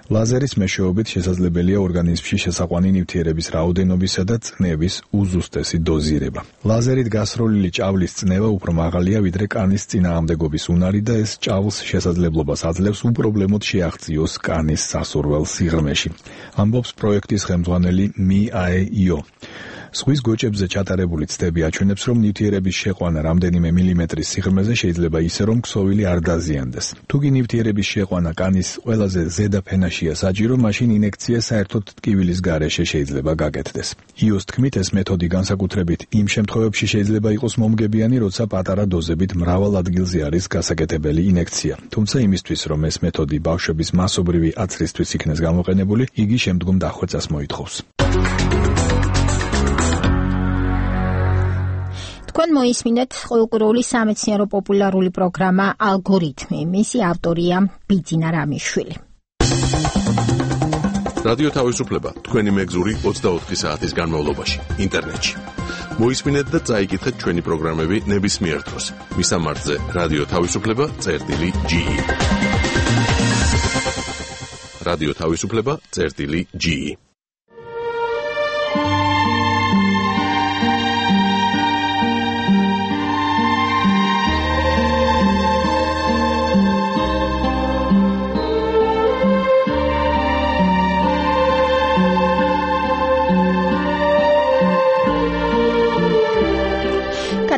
ლაზერის მეშვეობით შესაძლებელია ორგანიზმში შესაყვანი ნივთიერების რაოდენობისა და წნევის უზუსტესი დოზირება. ლაზერით გასროლილი ჭავლის წნევა უფრო მაღალია ვიდრე კანის წინააღმდეგობის უნარი და ეს ჭავლს შესაძლებლობას აძლევს უპრობლემოდ შეაღწიოს კანის სასურველ სიღრმეში. ამბობს პროექტის ხელმძღვანელი 미 აე იო. ზღვის გოჭებზე ჩატარებული ცდები აჩვენებს, რომ ნივთიერების შეყვანა რამდენიმე მილიმეტრის სიღრმეზე შეიძლება ისე, რომ ქსოვილი არ დაზიანდეს. თუ კი ნივთიერების შეყვანა კანის ყველაზე ზედა ფენაშია საჭირო, მაშინ ინექცია საერთოდ ტკივილის გარეშე შეიძლება გაკეთდეს. იოს თქმით, ეს მეთოდი განსაკუთრებით იმ შემთხვევებში შეიძლება იყოს მომგებიანი, როცა პატარა დოზებით მრავალ ადგილზე არის გასაკეთებელი ინექცია. თუმცა იმისთვის, რომ ეს მეთოდი ბავშვების მასობრივი აცრისთვის იქნეს გამოყენებული, იგი შემდგომ დახვეწას მოითხოვს. თქვენ მოისმინეთ ყოველკვირეული სამეცნიერო პოპულარული პროგრამა ალგორითმი. მისი ავტორია ბიძინა რამიშვილი. რადიო თავისუფლება თქვენი მეგზური 24 საათის განმავლობაში ინტერნეტში. მოისმინეთ და წაიკითხეთ ჩვენი პროგრამები ნებისმიერ დროს. მისამართზე რადიო თავისუფლება.ge. რადიო თავისუფლება.ge.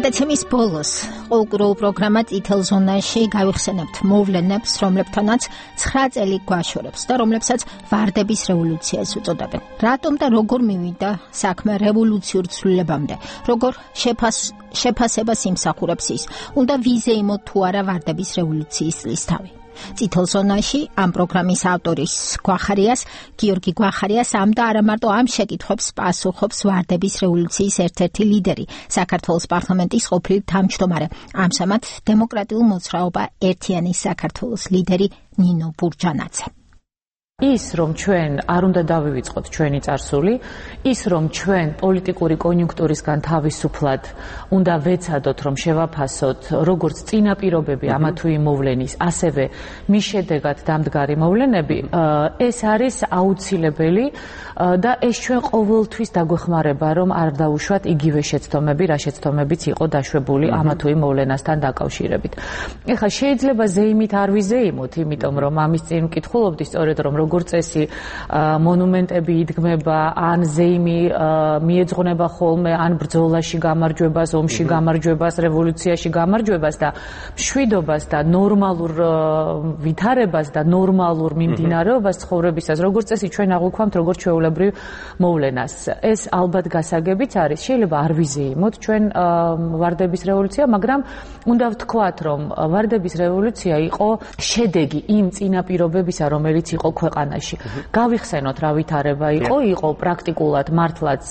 გადაცემის ბოლოს ყოველკვირეულ პროგრამა წითელ ზონაში გავიხსენებთ მოვლენებს, რომლებთანაც 9 წელი გვაშორებს და რომლებსაც ვარდების რევოლუციას უწოდებენ. რატომ და როგორ მივიდა საქმე რევოლუციურ ცვლილებამდე? როგორ შეფასებას იმსახურებს ის? უნდა ვიზეიმოთ თუ არა ვარდების რევოლუციის წლისთავი? წითელ ზონაში ამ პროგრამის ავტორის გიორგი გვახარიას ამ და არა მარტო ამ შეკითხვებს პასუხობს ვარდების რევოლუციის ერთ-ერთი ლიდერი, საქართველოს პარლამენტის ყოფილი თავმჯდომარე, ამჟამად დემოკრატიულ მოძრაობა ერთიანი საქართველოს ლიდერი ნინო ბურჯანაძე. ის რომ ჩვენ არ უნდა დავივიწყოთ ჩვენი წარსული, ის რომ ჩვენ პოლიტიკური კონიუნქტურისგან თავისუფლად უნდა ვეცადოთ რომ შევაფასოთ როგორც წინაპირობები ამა თუ იმ მოვლენის, ასევე მის შედეგად დამდგარი მოვლენები, ეს არის აუცილებელი და ეს ჩვენ ყოველთვის დაგვეხმარება რომ არ დავუშვათ იგივე შეცდომები, რა შეცდომებიც იყო დაშვებული ამა თუ იმ მოვლენასთან დაკავშირებით. ეხლა შეიძლება ზეიმით არ ვიზეიმოთ, იმიტომ რომ ამის წინ ვკითხულობდი სწორედ რომ როგორც წესი მონუმენტები იდგმება, ან ზეიმი მიეძღვნება ხოლმე ან ბრძოლაში გამარჯვებას, ომში გამარჯვებას, რევოლუციაში გამარჯვებას და მშვიდობას და ნორმალურ ვითარებას და ნორმალურ მიმდინარეობას ცხოვრებისას, როგორც წესი ჩვენ აღვიქვამთ როგორც ჩვეულებრივ მოვლენას. ეს ალბათ გასაგებიც არის, შეიძლება არ ვიზეიმოთ ჩვენ ვარდების რევოლუცია, მაგრამ უნდა ვთქვათ, რომ ვარდების რევოლუცია იყო შედეგი იმ წინაპირობებისა, რომელიც იყო ქვეყანაში. გავიხსენოთ რა ვითარება იყო პრაქტიკულად მართლაც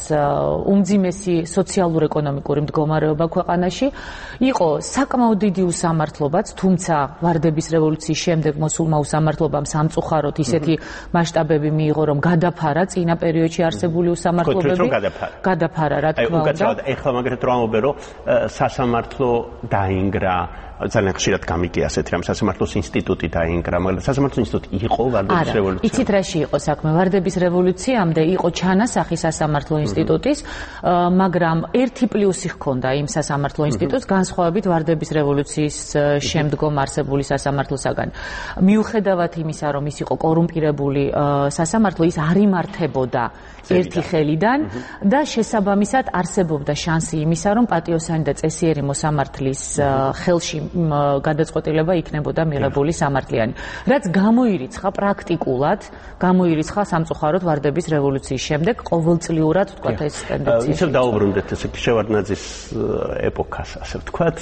უმძიმესი სოციალურ-ეკონომიკური მდგომარეობა ქვეყანაში, იყო საკმაოდ დიდი უსამართლობაც, თუმცა ვარდების რევოლუციის შემდეგ მოსულმა უსამართლობამ სამწუხაროდ ისეთი მასშტაბები მიიღო, რომ გადაფარა წინა პერიოდში არსებული უსამართლობები. გადაფარა, რა თქმა უნდა. ეხლა მაგალითად რომ ამობე, რომ სასამართლო დაინგრა, ძალიან ხშირად გამიგია ასეთ რამ, სასამართლოს ინსტიტუტი დაინგრა, მაგრამ სასამართლოს ინსტიტუტი იყო ვარდების რევოლუცია. იცით რაში იყო საქმე? ვარდების რევოლუციამდე იყო ჩანასახი სასამართლო ინსტიტუტის, მაგრამ ერთი პლუსი ჰქონდა იმ სასამართლო ინსტიტუტს, განსხვავებით ვარდების რევოლუციის შემდგომ არსებული სასამართლოსაგან. მიუხედავად იმისა, რომ ის იყო კორუმპირებული სასამართლო, ის არ იმართებოდა ერთი ხელიდან და შესაბამისად არსებობდა შანსი იმისა, რომ პატიოსანი და წესიერი მოსამართლის ხელში გადაწყვეტილება იქნებოდა მიღებული სამართლიანი. რაც გამოირიცხა პრაქტიკულად, გამოირიცხა სამწუხაროდ ვარდების რევოლუციის შემდეგ ყოველწლიურად ვთქვათ ეს ტენდენცია. ისევ დაუბრუნდეთ ესე შევარდნაძის ეპოქას, ასე ვთქვათ,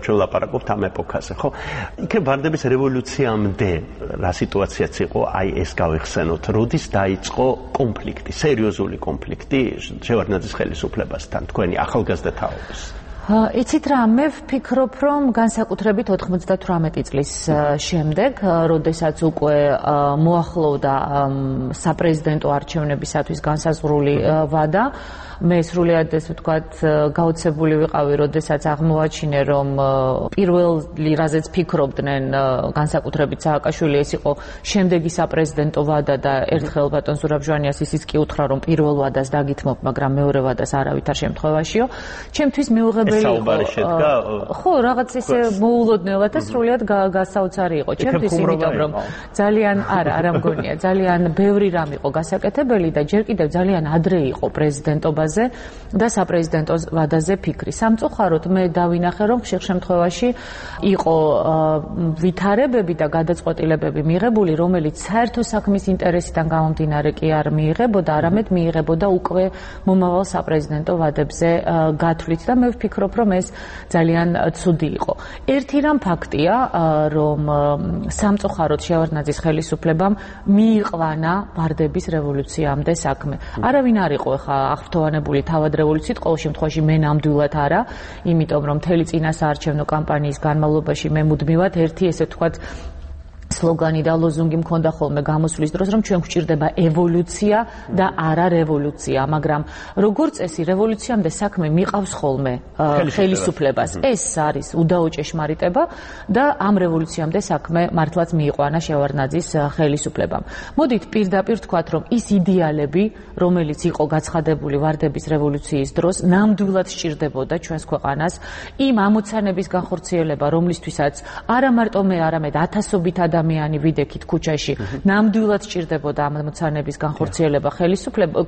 ჩვენ ვლაპარაკობთ ამ ეპოქაზე, ხო? იქნებ ვარდების რევოლუციამდე რა სიტუაციაც იყო, აი ეს გავიხსენოთ, როდის დაიწყო კონფლიქტი, სერიოზული კონფლიქტი შევარდნაძის ხელისუფლებასთან, თქვენი ახალგაზრდა თაობის. იცით რა, მე ვფიქრობ, რომ განსაკუთრებით 98 წლის შემდეგ, როდესაც უკვე მოახლოვდა საპრეზიდენტო არჩევნებისათვის განსაზღვრული ვადა, მე სრულიად ეს ვთქვათ გაოცებული ვიყავი, როდესაც აღმოაჩინე, რომ პირველი რაზეც ფიქრობდნენ განსაკუთრებით სააკაშვილი, ეს იყო შემდეგი საპრეზიდენტო ვადა და ერთხელ ბატონ ზურაბ-ჟვანიას ისიც კი უთხრა, რომ პირველ ვადას დაგითმობ, მაგრამ მეორე ვადას არავითარ შემთხვევაშიო. ჩემთვის მიუღებელი ხო, რაღაც ისე მოულოდნელად და სრულიად გასაოცარი იყო ჩემთვის, იმიტომ რომ ძალიან არა მგონია, ძალიან ბევრი რამ იყო გასაკეთებელი და ჯერ კიდევ ძალიან ადრე იყო პრეზიდენტობაზე და საპრეზიდენტო ვადაზე ფიქრი. სამწუხაროდ მე დავინახე, რომ ხშირ შემთხვევაში იყო ვითარებები და გადაწყვეტილებები მიღებული, რომელიც საერთო საქმის ინტერესიდან გამომდინარე კი არ მიიღებოდა, არამედ მიიღებოდა უკვე მომავალ საპრეზიდენტო ვადებზე გათვლით და მე ვფიქრობ, რომ ეს ძალიან ცუდი იყო. ერთი რამ ფაქტია, რომ სამწუხაროდ შევარდნაძის ხელისუფლებამ მიიყვანა ვარდების რევოლუციამდე საქმე. არავინ არ იყო ხა აღფრთოვანებული თავად რევოლუციით, ყოველ შემთხვევაში მე ნამდვილად არა, იმიტომ რომ მთელი წინასაარჩევნო კამპანიის განმავლობაში მე მუდმივად ერთი ესე ვთქვათ სლოგანი და ლოზუნგი მქონდა ხოლმე გამოსვლის დროს, რომ ჩვენ გვჭირდება ევოლუცია და არა რევოლუცია, მაგრამ როგორც წესი რევოლუციამდე საქმე მიყავს ხოლმე ხელისუფლებას. ეს არის უდაო ჭეშმარიტება და ამ რევოლუციამდე საქმე მართლაც მიიყვანა შევარდნაძის ხელისუფლებამ. მოდით პირდაპირ ვთქვათ, რომ ის იდეალები, რომელიც იყო გაცხადებული ვარდების რევოლუციის დროს, ნამდვილად სჭირდებოდა ჩვენს ქვეყანას იმ ამოცანების განხორციელება, რომლისთვისაც არა მარტო მე, არამედ ათასობით ადამიანი ვიდექით ქუჩაში, ნამდვილად სჭირდებოდა ამ ამოცანების განხორციელება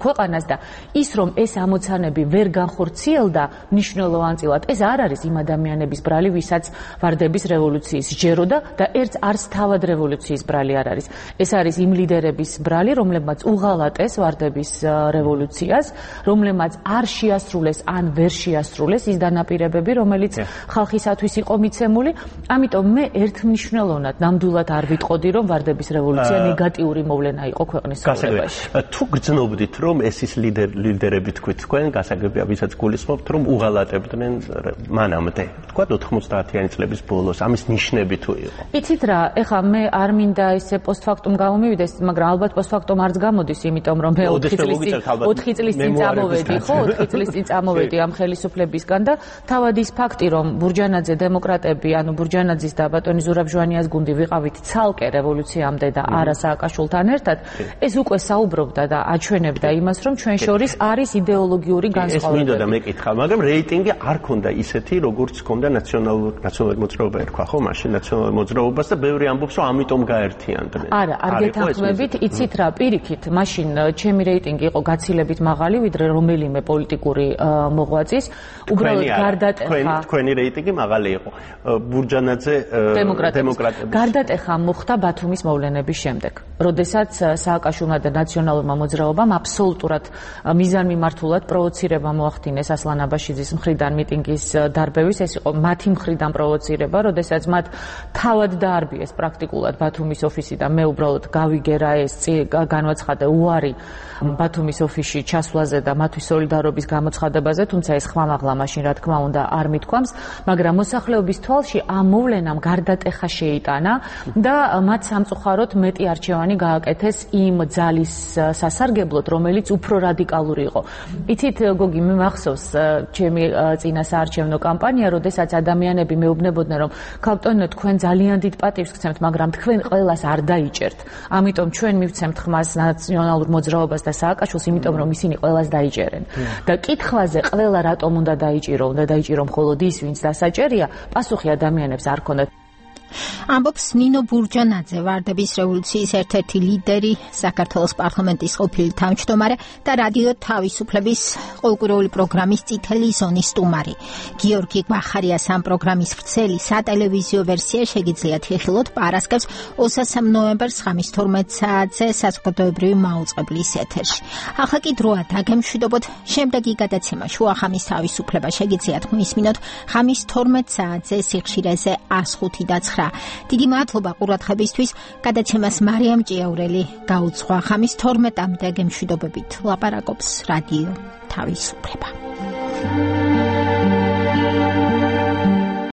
ქვეყანას და ის რომ ეს ამოცანები ვერ განხორციელდა მნიშვნელოვანწილად, ეს არ არის იმ ადამიანების ბრალი, ვისაც ვარდების რევოლუციის სჯეროდა და ერთ არც თავად რევოლუციის ბრალი არ არის. ეს არის იმ ლიდერების ბრალი, რომლებმაც უღალატეს ვარდების რევოლუციას, რომლებმაც არ შეასრულეს ან ვერ შეასრულეს ის დანაპირებები, რომელიც ხალხისათვის იყო მიცემული. ამიტომ მე ერთმნიშვნელოვნად ნამდვილად არ ვიტყოდი, რომ ვარდების რევოლუცია ნეგატიური მოვლენა იყო ქვეყნის ცხოვრებაში. თუ გრძნობდით, რომ ეს ის ლიდერები თქვით თქვენ, გასაგებია, ვისაც გულისხმობთ, რომ უღალატებდნენ მანამდე, თქვა 90-იანი წლების ბოლოს, ამის ნიშნები თუ იყო. იცით რა, ეხლა მე არ მინდა ისე პოსტფაქტუმ გამომივიდეს, მაგრამ ალბათ პოსტფაქტუმ არც გამოდის, იმიტომ რომ მე 4 წლის წინ წამოვედი, ხო, 4 წლის წინ წამოვედი ამ ხელისუფლებისგან და თავად ის ფაქტი, რომ ბურჯანაძე დემოკრატები, ანუ ბურჯანაძის და ბატონი ზურაბ-ჟვანიას გუნდი ვიყავით ცალკე რევოლუციამდე და არა სააკაშვილთან ერთად, ეს უკვე საუბრობდა და აჩვენებდა იმას, რომ ჩვენ შორის არის იდეოლოგიური განსხვავებები. ეს მინდოდა მეკითხა, მაგრამ რეიტინგი არ ქონდა ისეთი, როგორც ქონდა ნაციონალური მოძრაობა ერქვა, ხო, მაშინ ნაციონალურ მოძრაობას და ბევრი ამბობს, რომ ამიტომ გაერთიანდნენ. არა, არ გეთანხმებით, იცით რა, პირიქით, მაშინ ჩემი რეიტინგი იყო გაცილებით მაღალი, ვიდრე რომელიმე პოლიტიკური მოღვაწის. უბრალოდ გარდატეხა თქვენი რეიტინგი მაღალი იყო. ბურჯანაძე დემოკრატები. გარდატეხა მოხდა ბათუმის მოვლენების შემდეგ, როდესაც სააკაშვილმა და ნაციონალურმა მოძრაობამ აბსოლუტურად მიზანმიმართულად პროვოცირება მოახდინეს ასლან აბაშიძის მხრიდან მიტინგის დარბევის. ეს იყო მათი მხრიდან პროვოცირება, როდესაც მათ თავად დაარბიეს პრაქტიკულად ბათუმის ოფისი და მე უბრალოდ გავიგე რა ეს განვაცხადე უარი ბათუმის ოფისში ჩასვლაზე და მათთვის სოლიდარობის გამოცხადებაზე, თუმცა ეს ხმამაღლა მაშინ რა თქმა უნდა არ მithქვამს, მაგრამ მოსახლეობის თვალში ამ მოვლენამ გარდატეხა შეიტანა და მათ სამწუხაროდ მეტი არჩევანი გააკეთეს იმ ძალის სასარგებლოდ, რომელიც უფრო რადიკალური იყო. იცით, გოგი, მე მახსოვს ჩემი წინა საარჩევნო კამპანია, როდესაც ადამიანები მეუბნებოდნენ, რომ ქალბატონო, თქვენ ძალიან დიდ პატივს გცემთ, მაგრამ თქვენ ყველას არ დაიჭერთ. ამიტომ ჩვენ მივცემთ ხმას ნაციონალურ მოძრაობას და სააკაშვილს, იმიტომ რომ ისინი ყველას დაიჭერენ. და კითხვაზე ყველა რატომ უნდა დაიჭირო, უნდა დაიჭირო მხოლოდ ის, ვინც დასაჭერია, პასუხი ადამიანებს არ ქონდათ. ამბობს ნინო ბურჯანაძე, ვარდების რევოლუციის ერთ-ერთი ლიდერი, საქართველოს პარლამენტის ყოფილი თავმჯდომარე და რადიო თავისუფლების ყოველკვირეული პროგრამის წითელი ზონის სტუმარი. გიორგი გვახარიას ამ პროგრამის ვრცელი სატელევიზიო ვერსია შეგიძლიათ იხილოთ პარასკევს 23 ნოემბერს ღამის 12 საათზე საზოგადოებრივი მაუწყებლის ეთერში. ახლა კი დროა დაგემშვიდობოთ შემდეგი გადაცემა შუახამის თავისუფლება შეგიძლიათ მოისმინოთ ღამის 12 საათზე სიხშირეზე 105.9. დიდი მადლობა ყურადღებისთვის. გადაცემას მარიამ ჭიაურელი გაუძღვა. ღამის 12-მდე გემშვიდობებით ლაპარაკობს რადიო თავისუფლება.